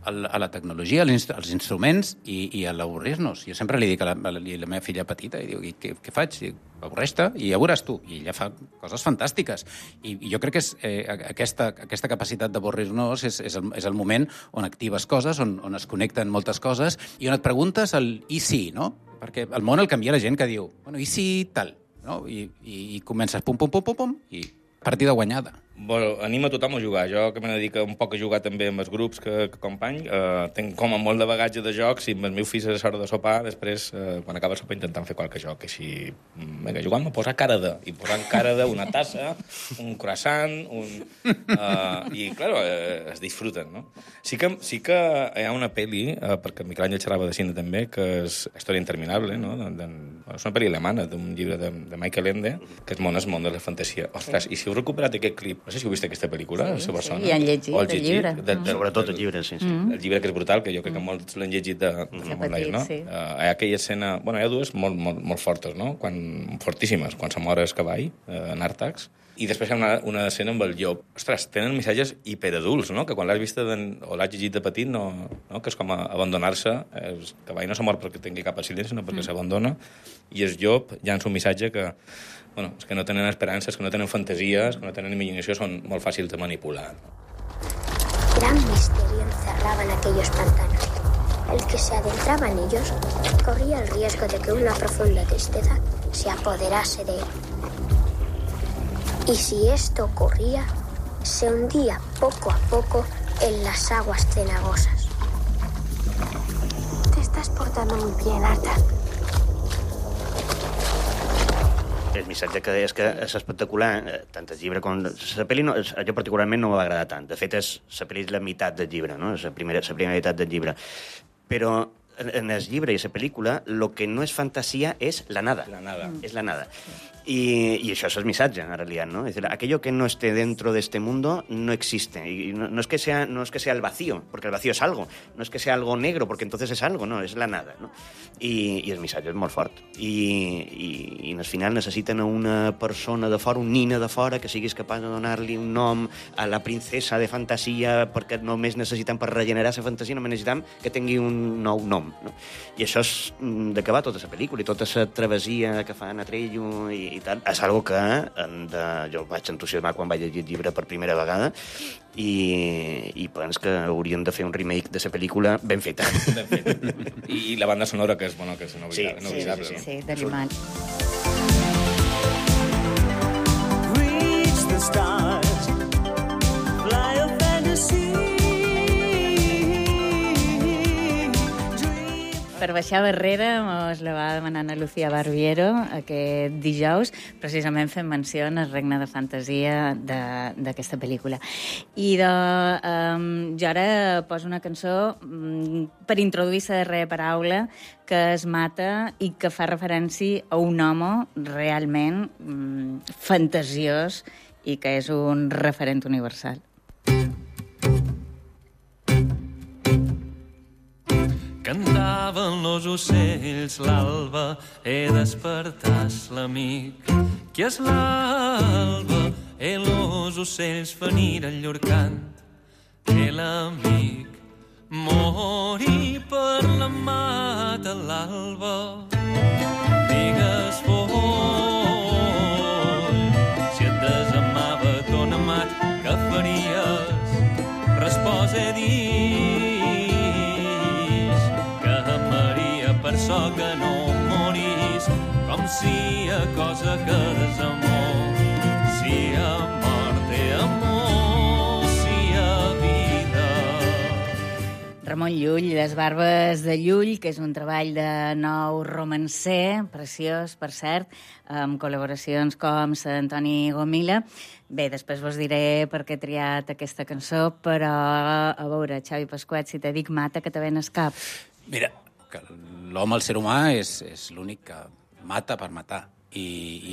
al, a la tecnologia, als, inst als instruments i, i a l'avorrir-nos. Jo sempre li dic a la, a la, a la meva filla petita, i diu, i què, què faig? I avorreix-te i ja veuràs tu. I ella fa coses fantàstiques. I, i jo crec que és, eh, aquesta, aquesta capacitat d'avorrir-nos és, és, el, és el moment on actives coses, on, on es connecten moltes coses, i on et preguntes el i si, no? Perquè el món el canvia la gent que diu, bueno, i si tal? No? I, i, i comences pum, pum, pum, pum, pum, i partida guanyada. Bueno, anima tothom a jugar. Jo, que me dedico un poc a jugar també amb els grups que, que company, eh, tenc com a molt de bagatge de jocs i amb els meus fills a l'hora de sopar, després, eh, quan acaba el sopar, intentant fer qualque joc. Així, vinga, jugant a posar cara de, i posant cara de una tassa, un croissant, un... Eh, I, clar, eh, es disfruten, no? Sí que, sí que hi ha una pel·li, eh, perquè el Miquel Àngel xerrava de cine també, que és Història interminable, no? De, de, és una pel·li alemana, d'un llibre de, de Michael Ende, que és món, és món de la fantasia. Ostres, i si heu recuperat aquest clip, no sé si heu vist aquesta pel·lícula, sí, a Barcelona. Sí, i han llegit el, el llibre. De, de, Sobretot el llibre, sí. sí. Mm. El llibre que és brutal, que jo crec que molts l'han llegit de, de sí, molt nois, no? Sí. Uh, hi ha aquella escena... Bueno, hi ha dues molt, molt, molt fortes, no? Quan, fortíssimes, quan se mor el cavall, uh, en Àrtax, i després hi ha una, una escena amb el llop. Ostres, tenen missatges hiperadults, no? Que quan l'has vist de, o l'has llegit de petit, no, no? Que és com abandonar-se. El cavall no se mor perquè tingui cap accident, sinó perquè mm. s'abandona. I el llop llança un missatge que... Bueno, és que no tenen esperances, que no tenen fantasies, que no tenen imaginació, són molt fàcils de manipular. Gran misterio encerraba en aquellos pantanos. El que se adentraba en ellos corría el riesgo de que una profunda tristeza se apoderase de él. Y si esto ocurría, se hundía poco a poco en las aguas cenagosas. Te estás portando muy bien, Arta. El missatge que és que és espectacular, tant el llibre com... La pel·li, no, jo particularment no m'ha agradat tant. De fet, és, la pel·li és la meitat del llibre, no? És la primera, la primera meitat del llibre. Però en el llibre i la pel·lícula, el que no és fantasia és la nada. La nada. És la nada. Y, y eso es el missatge, en realidad, ¿no? Es decir, aquello que no esté dentro de este mundo no existe. Y no, no, es que sea, no es que sea el vacío, porque el vacío es algo. No es que sea algo negro, porque entonces es algo, no, és la nada, no? I, i el missatge és molt fort. I, i, i al final necessiten una persona de fora, un nina de fora, que siguis capaç de donar-li un nom a la princesa de fantasia, perquè només necessitem per regenerar la fantasia, només necessitem que tingui un nou nom, no? I això és de què va tota la pel·lícula, i tota la travessia que fan a Trello i, i tal. És algo que de, jo vaig entusiasmar quan vaig llegir el llibre per primera vegada i, i penso que hauríem de fer un remake de la pel·lícula ben feta. Ben feta. I, I la banda sonora, que és, bueno, que és inoblidable. Sí, sí, sí, sí, sí, de Limán. Reach the stars, fly a fantasy. Per baixar barrera mos la va demanant a Lucía Barbiero aquest dijous, precisament fent menció al regne de fantasia d'aquesta pel·lícula. I de, um, jo ara poso una cançó um, per introduir la darrera paraula, que es mata i que fa referència a un home realment um, fantasiós i que és un referent universal. Cantaven los ocells l'alba, he despertat l'amic. Qui és l'alba? E los ocells veniren llur cant. E l'amic morí per la mata l'alba. Digues foll, si et desamava ton amat, què faries? Respòs he dit per so que no morís, com si a cosa que desamor, si a mort té amor, si a vida. Ramon Llull, Les barbes de Llull, que és un treball de nou romancer, preciós, per cert, amb col·laboracions com l'Antoni Gomila. Bé, després vos diré per què he triat aquesta cançó, però a veure, Xavi Pasquet, si te dic mata, que te ven al cap. Mira, que l'home, el ser humà, és, és l'únic que mata per matar. I,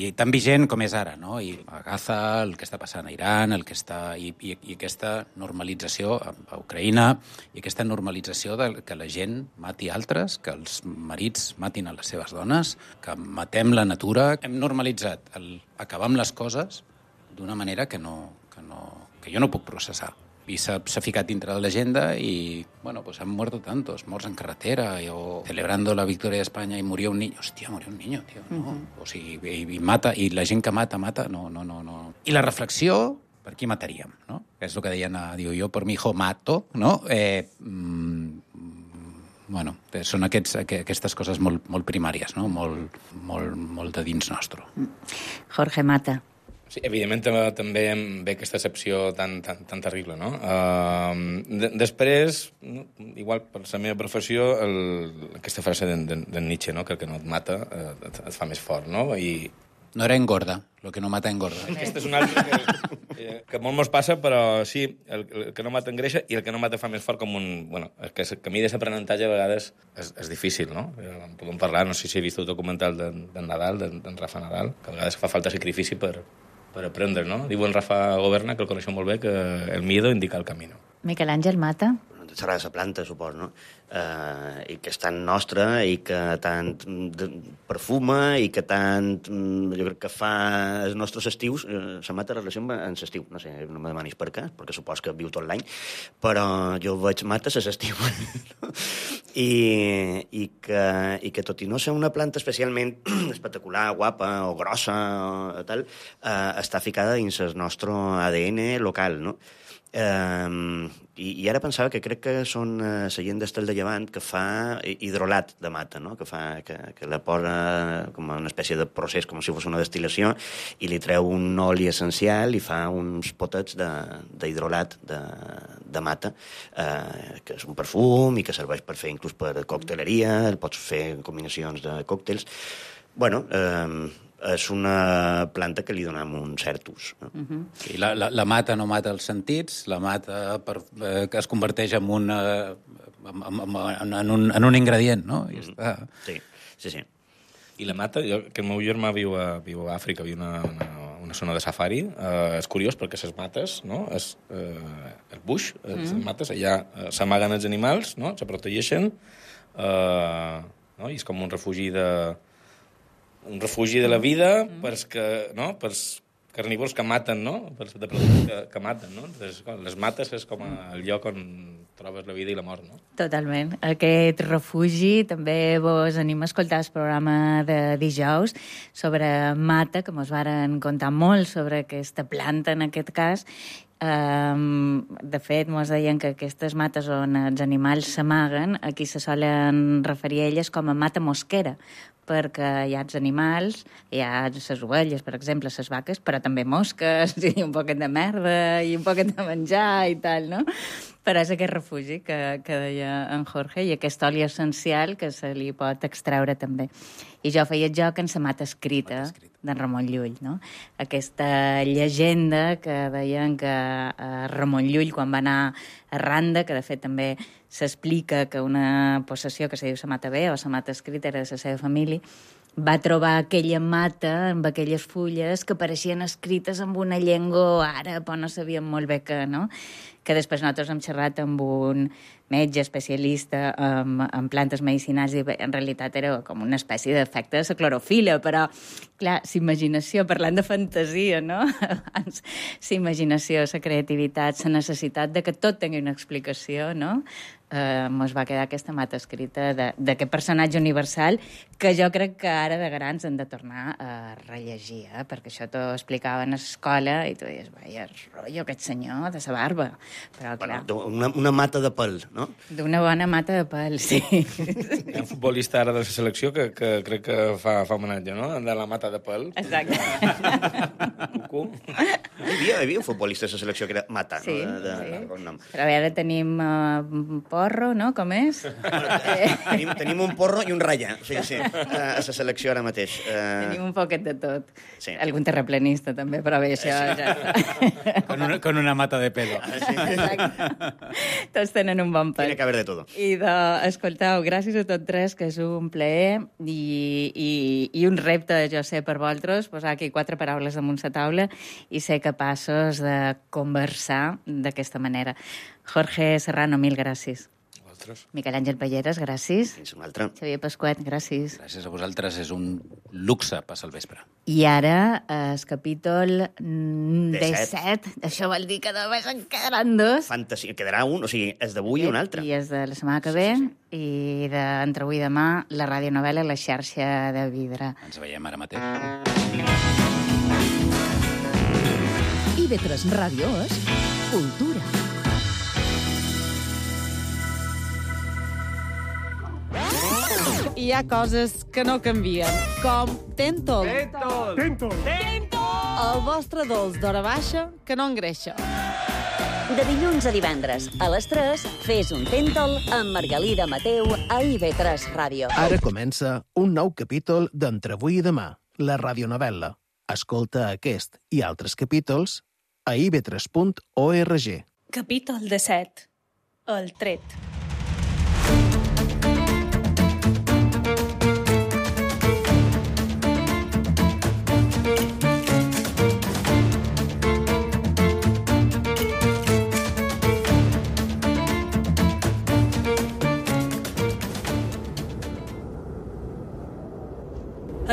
i tan vigent com és ara, no? I a Gaza, el que està passant a Iran, el que està, i, i, i aquesta normalització a, a Ucraïna, i aquesta normalització de que la gent mati altres, que els marits matin a les seves dones, que matem la natura. Hem normalitzat el acabar amb les coses d'una manera que, no, que, no, que jo no puc processar. I s'ha ficat dintre de l'agenda i, bueno, pues han muerto tantos, morts en carretera, i, o celebrando la victòria d'Espanya i murió un niño. Hòstia, murió un niño, tio, no? Uh-huh. O sigui, i, i mata, i la gent que mata, mata, no, no, no, no. I la reflexió, per qui mataríem, no? Que és el que deien, diu, jo per mi hijo mato, no? Eh, mm, bueno, són aquests, aquestes coses molt, molt primàries, no? Molt, molt, molt de dins nostre. Jorge Mata. Sí, evidentment també ve aquesta excepció tan, tan, tan terrible, no? Uh, de, després, no, igual per la meva professió, el, aquesta frase de, de, de Nietzsche, no? Que el que no et mata eh, et, et fa més fort, no? I... No era engorda, lo que no mata engorda. Aquesta és una altra que, que molt mos passa, però sí, el, el que no mata engreixa i el que no mata fa més fort com un... Bueno, el, que, el camí d'aprenentatge a vegades és, és difícil, no? En podem parlar, no sé si he vist el documental d'en de Nadal, d'en de Rafa Nadal, que a vegades fa falta sacrifici per... per aprendre, no? Diu en Rafa Goberna, que el coneixem molt bé, que el miedo indica el camino. Miquel Àngel Mata. Serà de la planta, supos, no? Eh, I que és tan nostra i que tant perfuma i que tant, jo crec que fa els nostres estius, eh, la mata relació amb l'estiu, no sé, no me demanis per què, perquè supos que viu tot l'any, però jo veig mates a l'estiu. I, i, que, i que tot i no ser una planta especialment espectacular, guapa o grossa o tal, eh, està ficada dins el nostre A D N local, no? Um, i, i ara pensava que crec que són uh, la gent d'Estel de Llevant que fa hidrolat de mata, no? que, fa, que, que la posa com una espècie de procés, com si fos una destil·lació, i li treu un oli essencial i fa uns potets d'hidrolat de, de, de mata, uh, que és un perfum i que serveix per fer inclús per cocteleria, el pots fer combinacions de còctels. Bueno, um, és una planta que li donem un cert ús. No? Uh-huh. I la, la, la mata no mata els sentits, la mata per, eh, que es converteix en, una, en, en, en, un, en un ingredient, no? I uh-huh. està... Sí, sí, sí. I la mata, jo, que el meu germà viu a, viu a Àfrica, viu una, una, una zona de safari. Uh, és curiós perquè les mates, no? És, uh, el bush, mm. les mates, allà uh, s'amaguen els animals, no? Se protegeixen, uh, no? I és com un refugi de... un refugi de la vida mm. pels que, no? Pels carnívors que maten, no? Pels depredadors que, que maten, no? Entonces, les mates és com el lloc on trobes la vida i la mort, no? Totalment. Aquest refugi també vos anima a escoltar el programa de dijous sobre mata, que mos varen contar molt sobre aquesta planta, en aquest cas. Um, de fet, mos deien que aquestes mates on els animals s'amaguen, aquí se solen referir a elles com a mata mosquera, perquè hi ha els animals, hi ha les ovelles, per exemple, les vaques, però també mosques, i un poquet de merda, i un poquet de menjar i tal, no? Però és aquest refugi que, que deia en Jorge, i aquest oli essencial que se li pot extreure també. I jo feia el joc en la mata escrita d'en Ramon Llull, no? Aquesta llegenda que deien que eh, Ramon Llull, quan va anar a Randa, que de fet també s'explica que una possessió que se diu la mata bé o la mata escrita era de la seva família, va trobar aquella mata amb aquelles fulles que pareixien escrites amb una llengua àrab, o no sabíem molt bé què, no? Que després nosaltres hem xerrat amb un metge especialista en, en plantes medicinals i en realitat era com una espècie d'efecte de la clorofila, però, clar, la imaginació, parlant de fantasia, no? Abans, la imaginació, la creativitat, la necessitat de que tot tingui una explicació, no? Eh, mos va quedar aquesta mata escrita d'aquest personatge universal que jo crec que ara de grans hem de tornar a rellegir, eh? Perquè això t'ho explicaven a l'escola i tu deies, vaja, rotllo aquest senyor de sa barba. Però, clar... Bueno, una, una mata de pèl, no? D'una bona mata de pèl, sí. Hi ha un futbolista ara de la selecció que, que crec que fa, fa homenatge, no? De la mata de pèl. Exacte. Cucú. Hi havia, hi havia un futbolista de la selecció que era Mata, sí, no? De, de, sí. de bon nom. Però ara tenim uh, porro, no? Com és? Bueno, tenim, tenim un porro i un ratlla, sí, sí, a la selecció ara mateix. Uh... Tenim un poquet de tot. Sí. Algun terraplanista, també, però bé, això sí. ja està. Con una, con una mata de pelo. Ah, sí. Exacte. Tots tenen un bon pèl. Tiene que haber de todo. I de, escoltau, gràcies a tots tres, que és un plaer i, i, i un repte, jo sé, per vosaltres, posar aquí quatre paraules damunt la taula i ser capaços de conversar d'aquesta manera. Jorge Serrano, mil gràcies. Vosaltres. Miquel Àngel Palleres, gràcies. Fins una altra. Xavier Pasquet, gràcies. Gràcies a vosaltres, és un luxe passar el vespre. I ara, el capítol disset, disset. això vol dir que només en quedaran dos. Fantasia. Quedarà un, o sigui, és d'avui i un altre. I és de la setmana que ve, sí, sí, sí. I d'entre avui i demà, la radionovel·la La xarxa de vidre. Ens veiem ara mateix. I ve tres Ràdio és cultura. Hi ha coses que no canvien, com Tentol. Tentol! Tentol! Tentol! El vostre dolç d'hora baixa que no engreixa. De dilluns a divendres, a les tres, fes un Tentol amb Margalida Mateu a I V tres Ràdio. Ara comença un nou capítol d'Entre avui i demà, la radionovel·la. Escolta aquest i altres capítols a i v tres punt org. Capítol disset. El tret.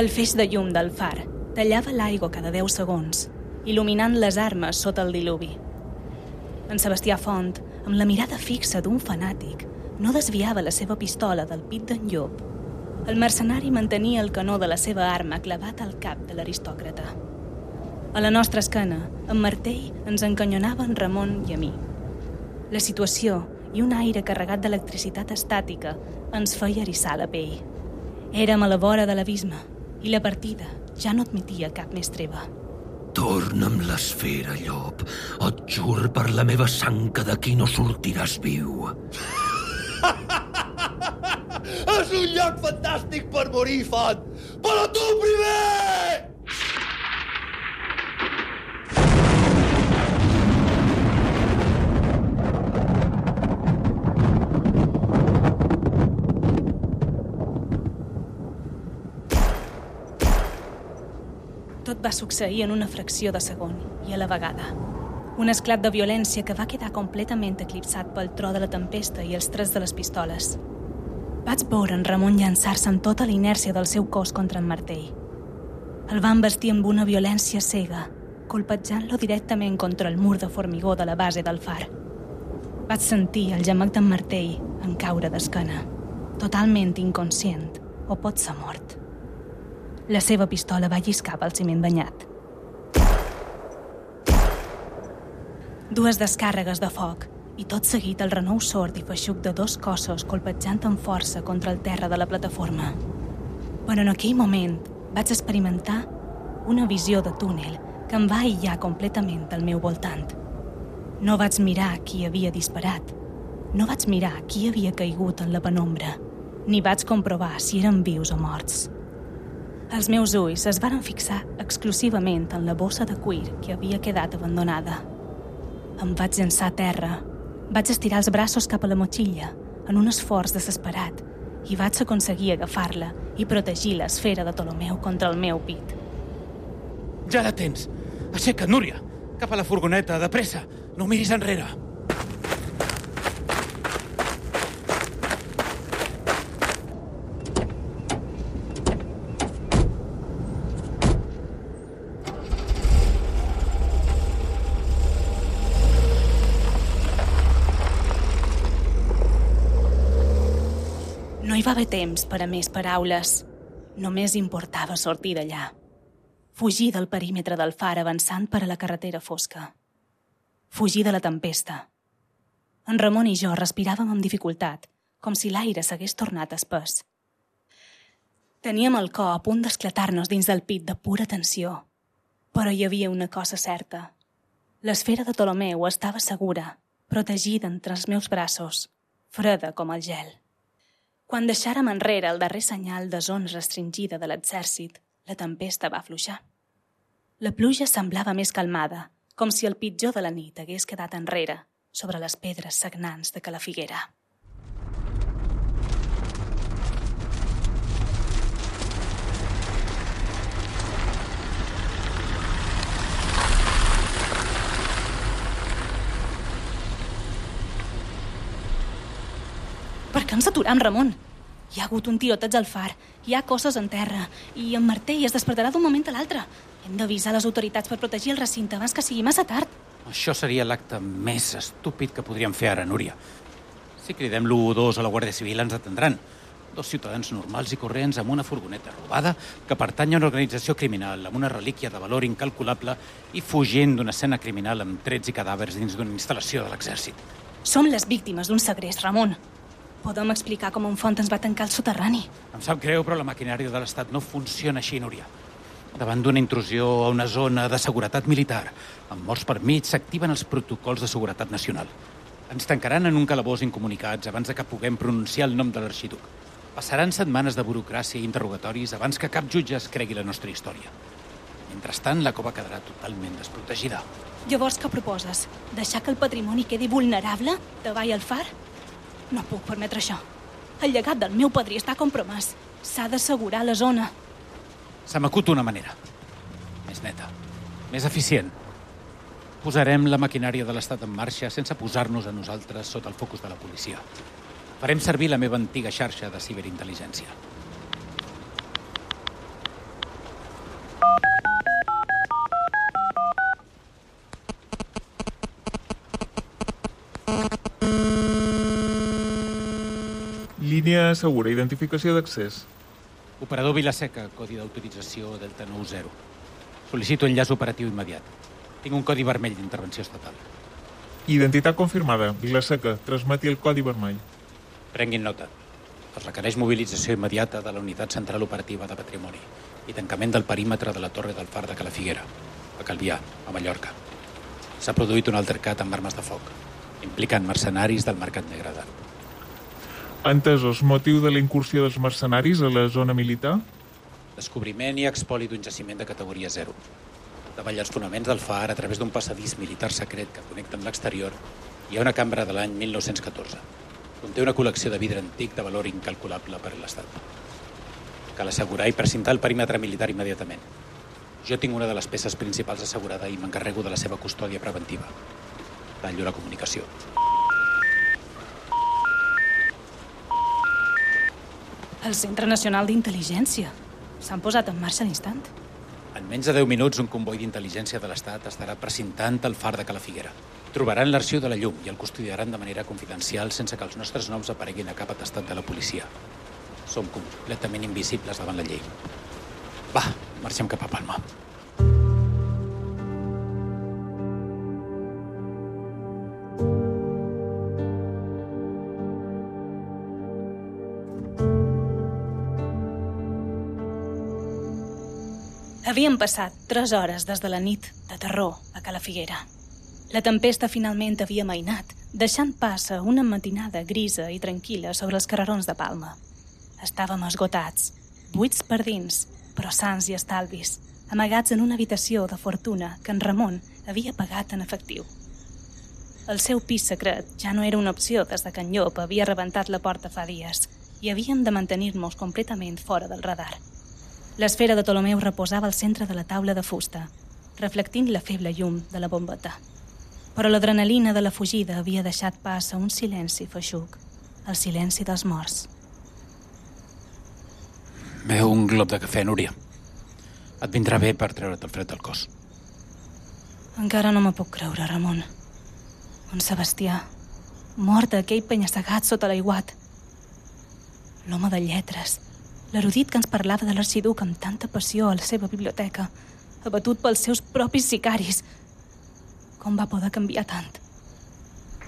El feix de llum del far tallava l'aigua cada deu segons, il·luminant les armes sota el diluvi. En Sebastià Font, amb la mirada fixa d'un fanàtic, no desviava la seva pistola del pit d'en Llop. El mercenari mantenia el canó de la seva arma clavat al cap de l'aristòcrata. A la nostra esquena, en Martell ens encanyonava en Ramon i a mi. La situació i un aire carregat d'electricitat estàtica ens feia eriçar la pell. Érem a la vora de l'abisme i la partida ja no admetia cap més treva. Torna'm l'esfera, Llop. Et jur per la meva sang que d'aquí no sortiràs viu. És un lloc fantàstic per morir, Font! Però tu primer! Tot va succeir en una fracció de segon i a la vegada. Un esclat de violència que va quedar completament eclipsat pel tro de la tempesta i els trets de les pistoles. Vaig veure en Ramon llançar-se amb tota la inèrcia del seu cos contra en Martell. El van vestir amb una violència cega, colpejant-lo directament contra el mur de formigó de la base del far. Vaig sentir el gemec d'en Martell en caure d'esquena, totalment inconscient o potser mort. La seva pistola va lliscar pel ciment banyat. Dues descàrregues de foc i tot seguit el renou sord i feixuc de dos cossos colpejant amb força contra el terra de la plataforma. Però en aquell moment vaig experimentar una visió de túnel que em va aïllar completament al meu voltant. No vaig mirar qui havia disparat, no vaig mirar qui havia caigut en la penombra, ni vaig comprovar si eren vius o morts. Els meus ulls es varen fixar exclusivament en la bossa de cuir que havia quedat abandonada. Em vaig llançar a terra, vaig estirar els braços cap a la motxilla, en un esforç desesperat, i vaig aconseguir agafar-la i protegir l'esfera de Ptolomeu contra el meu pit. Ja la tens! Aixeca't, Núria! Cap a la furgoneta, de pressa! No miris enrere! No hi va haver temps per a més paraules. Només importava sortir d'allà. Fugir del perímetre del far avançant per a la carretera fosca. Fugir de la tempesta. En Ramon i jo respiràvem amb dificultat, com si l'aire s'hagués tornat espès. Teníem el cor a punt d'esclatar-nos dins del pit de pura tensió. Però hi havia una cosa certa. L'esfera de Ptolomeu estava segura, protegida entre els meus braços, freda com el gel. Quan deixàrem enrere el darrer senyal de zona restringida de l'exèrcit, la tempesta va afluixar. La pluja semblava més calmada, com si el pitjor de la nit hagués quedat enrere sobre les pedres sagnants de Cala Figuera. Per què ens aturem, Ramon? Hi ha hagut un tiroteig al far, hi ha cosses en terra, i en Martell es despertarà d'un moment a l'altre. Hem d'avisar les autoritats per protegir el recinte abans que sigui massa tard. Això seria l'acte més estúpid que podríem fer ara, Núria. Si cridem l'u u dos a la Guàrdia Civil ens atendran. Dos ciutadans normals i corrents amb una furgoneta robada que pertany a una organització criminal amb una relíquia de valor incalculable i fugint d'una escena criminal amb trets i cadàvers dins d'una instal·lació de l'exèrcit. Som les víctimes d'un segrest, Ramon. Podem explicar com un font ens va tancar al soterrani. Em sap greu, però la maquinària de l'Estat no funciona així, Núria. Davant d'una intrusió a una zona de seguretat militar, amb morts per mig, s'activen els protocols de seguretat nacional. Ens tancaran en un calabós incomunicats abans de que puguem pronunciar el nom de l'arxiduc. Passaran setmanes de burocràcia i interrogatoris abans que cap jutge es cregui la nostra història. Mentrestant, la cova quedarà totalment desprotegida. Llavors, què proposes? Deixar que el patrimoni quedi vulnerable davall el far? No puc permetre això. El llegat del meu padrí està compromès. S'ha d'assegurar la zona. Se m'acut una manera. Més neta. Més eficient. Posarem la maquinària de l'Estat en marxa sense posar-nos a nosaltres sota el focus de la policia. Farem servir la meva antiga xarxa de ciberintel·ligència. Línia segura, identificació d'accés. Operador Vilaseca, codi d'autorització Delta nou zero. Sol·licito enllaç operatiu immediat. Tinc un codi vermell d'intervenció estatal. Identitat confirmada. Vilaseca, transmeti el codi vermell. Prenguin nota. Es requereix mobilització immediata de la Unitat Central Operativa de Patrimoni i tancament del perímetre de la Torre del Far de Cala Figuera, a Calvià, a Mallorca. S'ha produït un altercat amb armes de foc, implicant mercenaris del mercat negre d'art. Entesos, motiu de la incursió dels mercenaris a la zona militar? Descobriment i expoli d'un jaciment de categoria zero. Davall els fonaments del far, a través d'un passadís militar secret que connecta amb l'exterior, hi ha una cambra de l'any mil nou-cents catorze. Conté una col·lecció de vidre antic de valor incalculable per a l'Estat. Cal assegurar i precintar el perímetre militar immediatament. Jo tinc una de les peces principals assegurada i m'encarrego de la seva custòdia preventiva. Tallo la comunicació. El Centre Nacional d'Intel·ligència. S'han posat en marxa a l'instant. En menys de deu minuts, un comboi d'intel·ligència de l'Estat estarà precintant el far de Cala Figuera. Trobaran l'arxiu de la llum i el custodiaran de manera confidencial sense que els nostres noms apareguin a cap atestat de la policia. Som completament invisibles davant la llei. Va, marxem cap a Palma. Havien passat tres hores des de la nit de terror a Cala Figuera. La tempesta finalment havia amainat, deixant pas a una matinada grisa i tranquil·la sobre els carrerons de Palma. Estàvem esgotats, buits per dins, però sans i estalvis, amagats en una habitació de fortuna que en Ramon havia pagat en efectiu. El seu pis secret ja no era una opció des de que en Llop havia rebentat la porta fa dies i havíem de mantenir-nos completament fora del radar. L'esfera de Ptolomeu reposava al centre de la taula de fusta, reflectint la feble llum de la bombeta. Però l'adrenalina de la fugida havia deixat pas a un silenci feixuc, el silenci dels morts. Veu un glob de cafè, Núria. Et vindrà bé per treure't el fred del cos. Encara no me puc creure, Ramon. Un Sebastià, mort a aquell penya-segat sota l'aiguat. L'home de lletres, l'erudit que ens parlava de l'arxiduc amb tanta passió a la seva biblioteca, abatut pels seus propis sicaris. Com va poder canviar tant?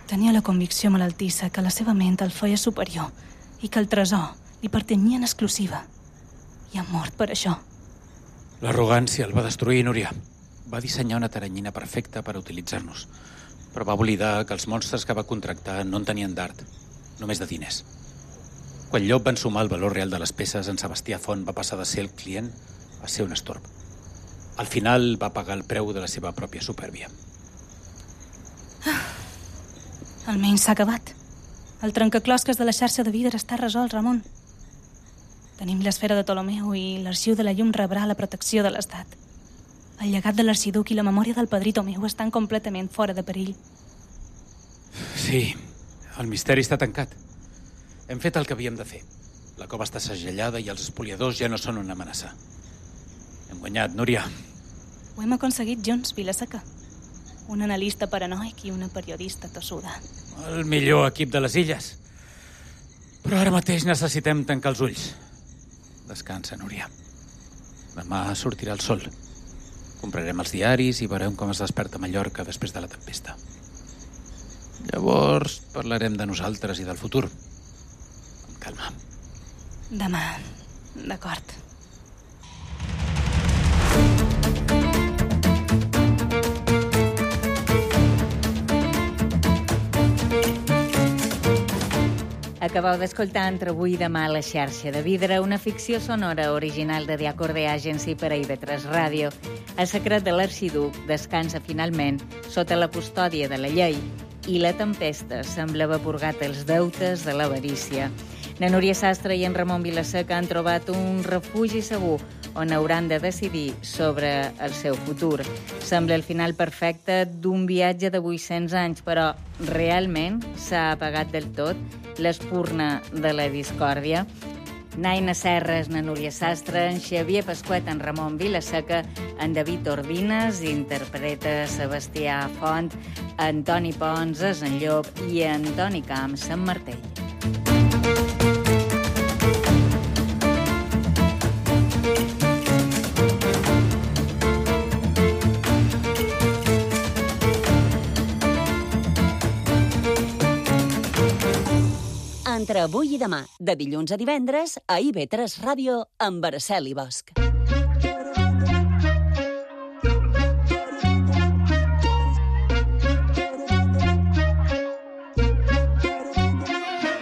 Tenia la convicció malaltissa que la seva ment el feia superior i que el tresor li pertanyia en exclusiva. I ha mort per això. L'arrogància el va destruir, Núria. Va dissenyar una taranyina perfecta per utilitzar-nos, però va oblidar que els monstres que va contractar no en tenien d'art, només de diners. Quan Llop va ensumar el valor real de les peces, en Sebastià Font va passar de ser el client a ser un estorb. Al final va pagar el preu de la seva pròpia supèrbia. Ah, almenys s'ha acabat. El trencaclosques de la xarxa de vidre està resolt, Ramon. Tenim l'esfera de Ptolomeu i l'arxiu de la llum rebrà la protecció de l'Estat. El llegat de l'arxiduc i la memòria del padrí Tomeu estan completament fora de perill. Sí, el misteri està tancat. Hem fet el que havíem de fer. La cova està segellada i els espoliadors ja no són una amenaça. Hem guanyat, Núria. Ho hem aconseguit junts, Vilaseca. Un analista paranoic i una periodista tossuda. El millor equip de les illes. Però ara mateix necessitem tancar els ulls. Descansa, Núria. Demà sortirà el sol. Comprarem els diaris i veurem com es desperta Mallorca després de la tempesta. Llavors parlarem de nosaltres i del futur. Amb calma. Demà. D'acord. Acabeu d'escoltar Entre avui i demà a la xarxa de vidre, una ficció sonora original de Diacorde Agency per a I V tres Ràdio. El secret de l'arxiduc descansa finalment sota la custòdia de la llei i la tempesta sembla haver purgat els deutes de l'avarícia. Na Núria Sastre i en Ramon Vilaseca han trobat un refugi segur on hauran de decidir sobre el seu futur. Sembla el final perfecte d'un viatge de vuit-cents anys, però realment s'ha apagat del tot l'espurna de la discòrdia. Naina Serres, na Núria Sastre, en Xavier Pasquet, en Ramon Vilaseca, en David Ordines, interpreta Sebastià Font, Antoni Pons, en Llop i Antoni Camps, en Martell. Entre avui i demà, de dilluns a divendres, a I V tres Ràdio, amb Araceli Bosch.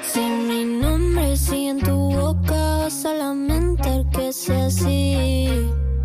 Si mi nombre sigue en tu boca, vas a lamentar que sea así.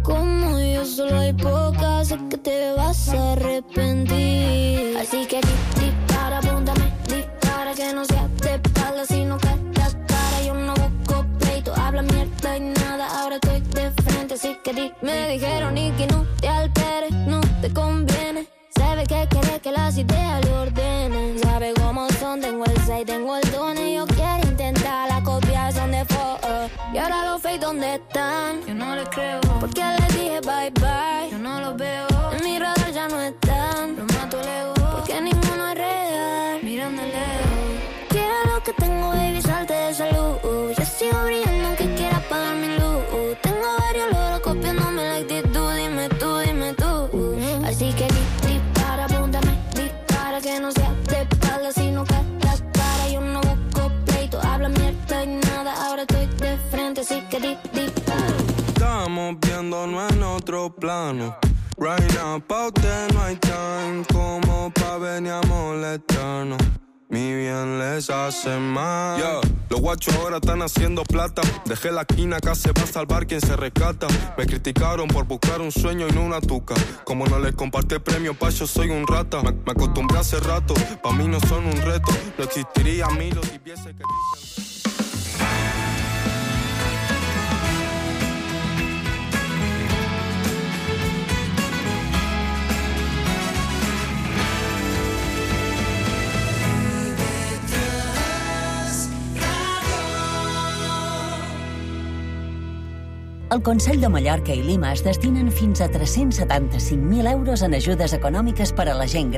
Como yo solo hay pocas, sé que te vas a arrepentir. Así que dispara, apúntame, dispara, que no sea de espalda, sino que la cara. Yo no busco pleito, habla mierda y nada, ahora estoy de frente, así que dime. me dijeron y que no te alteres, no te conviene. Se ve que quiere que las ideas le ordenen. Sabe cómo son, tengo el seis, tengo el don. Y yo quiero intentar la copia, son de foto. Y ahora los fake, ¿dónde están? Yo no les creo, porque les dije bye bye. Yo no los veo, en mi radar ya no están. Los mato el ego, porque ninguno es real. Miran de lejos. Quiero lo que tengo, baby, salte de salud. Yo sigo brillando aunque quiera apagar mi luz. Tengo varios loros copiándome la actitud. Dime tú, dime tú. Así que di, dispara, apúntame, dispara. Que no sea de espalda, sino que la cara. Yo no busco pleito, habla mierda y nada. Ahora estoy de frente, así que di, dispara. Estamos viéndonos en otro plano. Right now, pa' usted no hay time. Como pa' venir a molestarnos. Mi bien les hace mal. Yeah, los guachos ahora están haciendo plata. Dejé la esquina, acá se va a salvar quien se rescata. Me criticaron por buscar un sueño y no una tuca. Como no les compartí premio, pa' yo soy un rata. Me, me acostumbré hace rato, pa' mí no son un reto. No existiría Milo si viese que dicen... El Consell de Mallorca i Lima es destinen fins a tres-cents setanta-cinc mil euros en ajudes econòmiques per a la gent gran.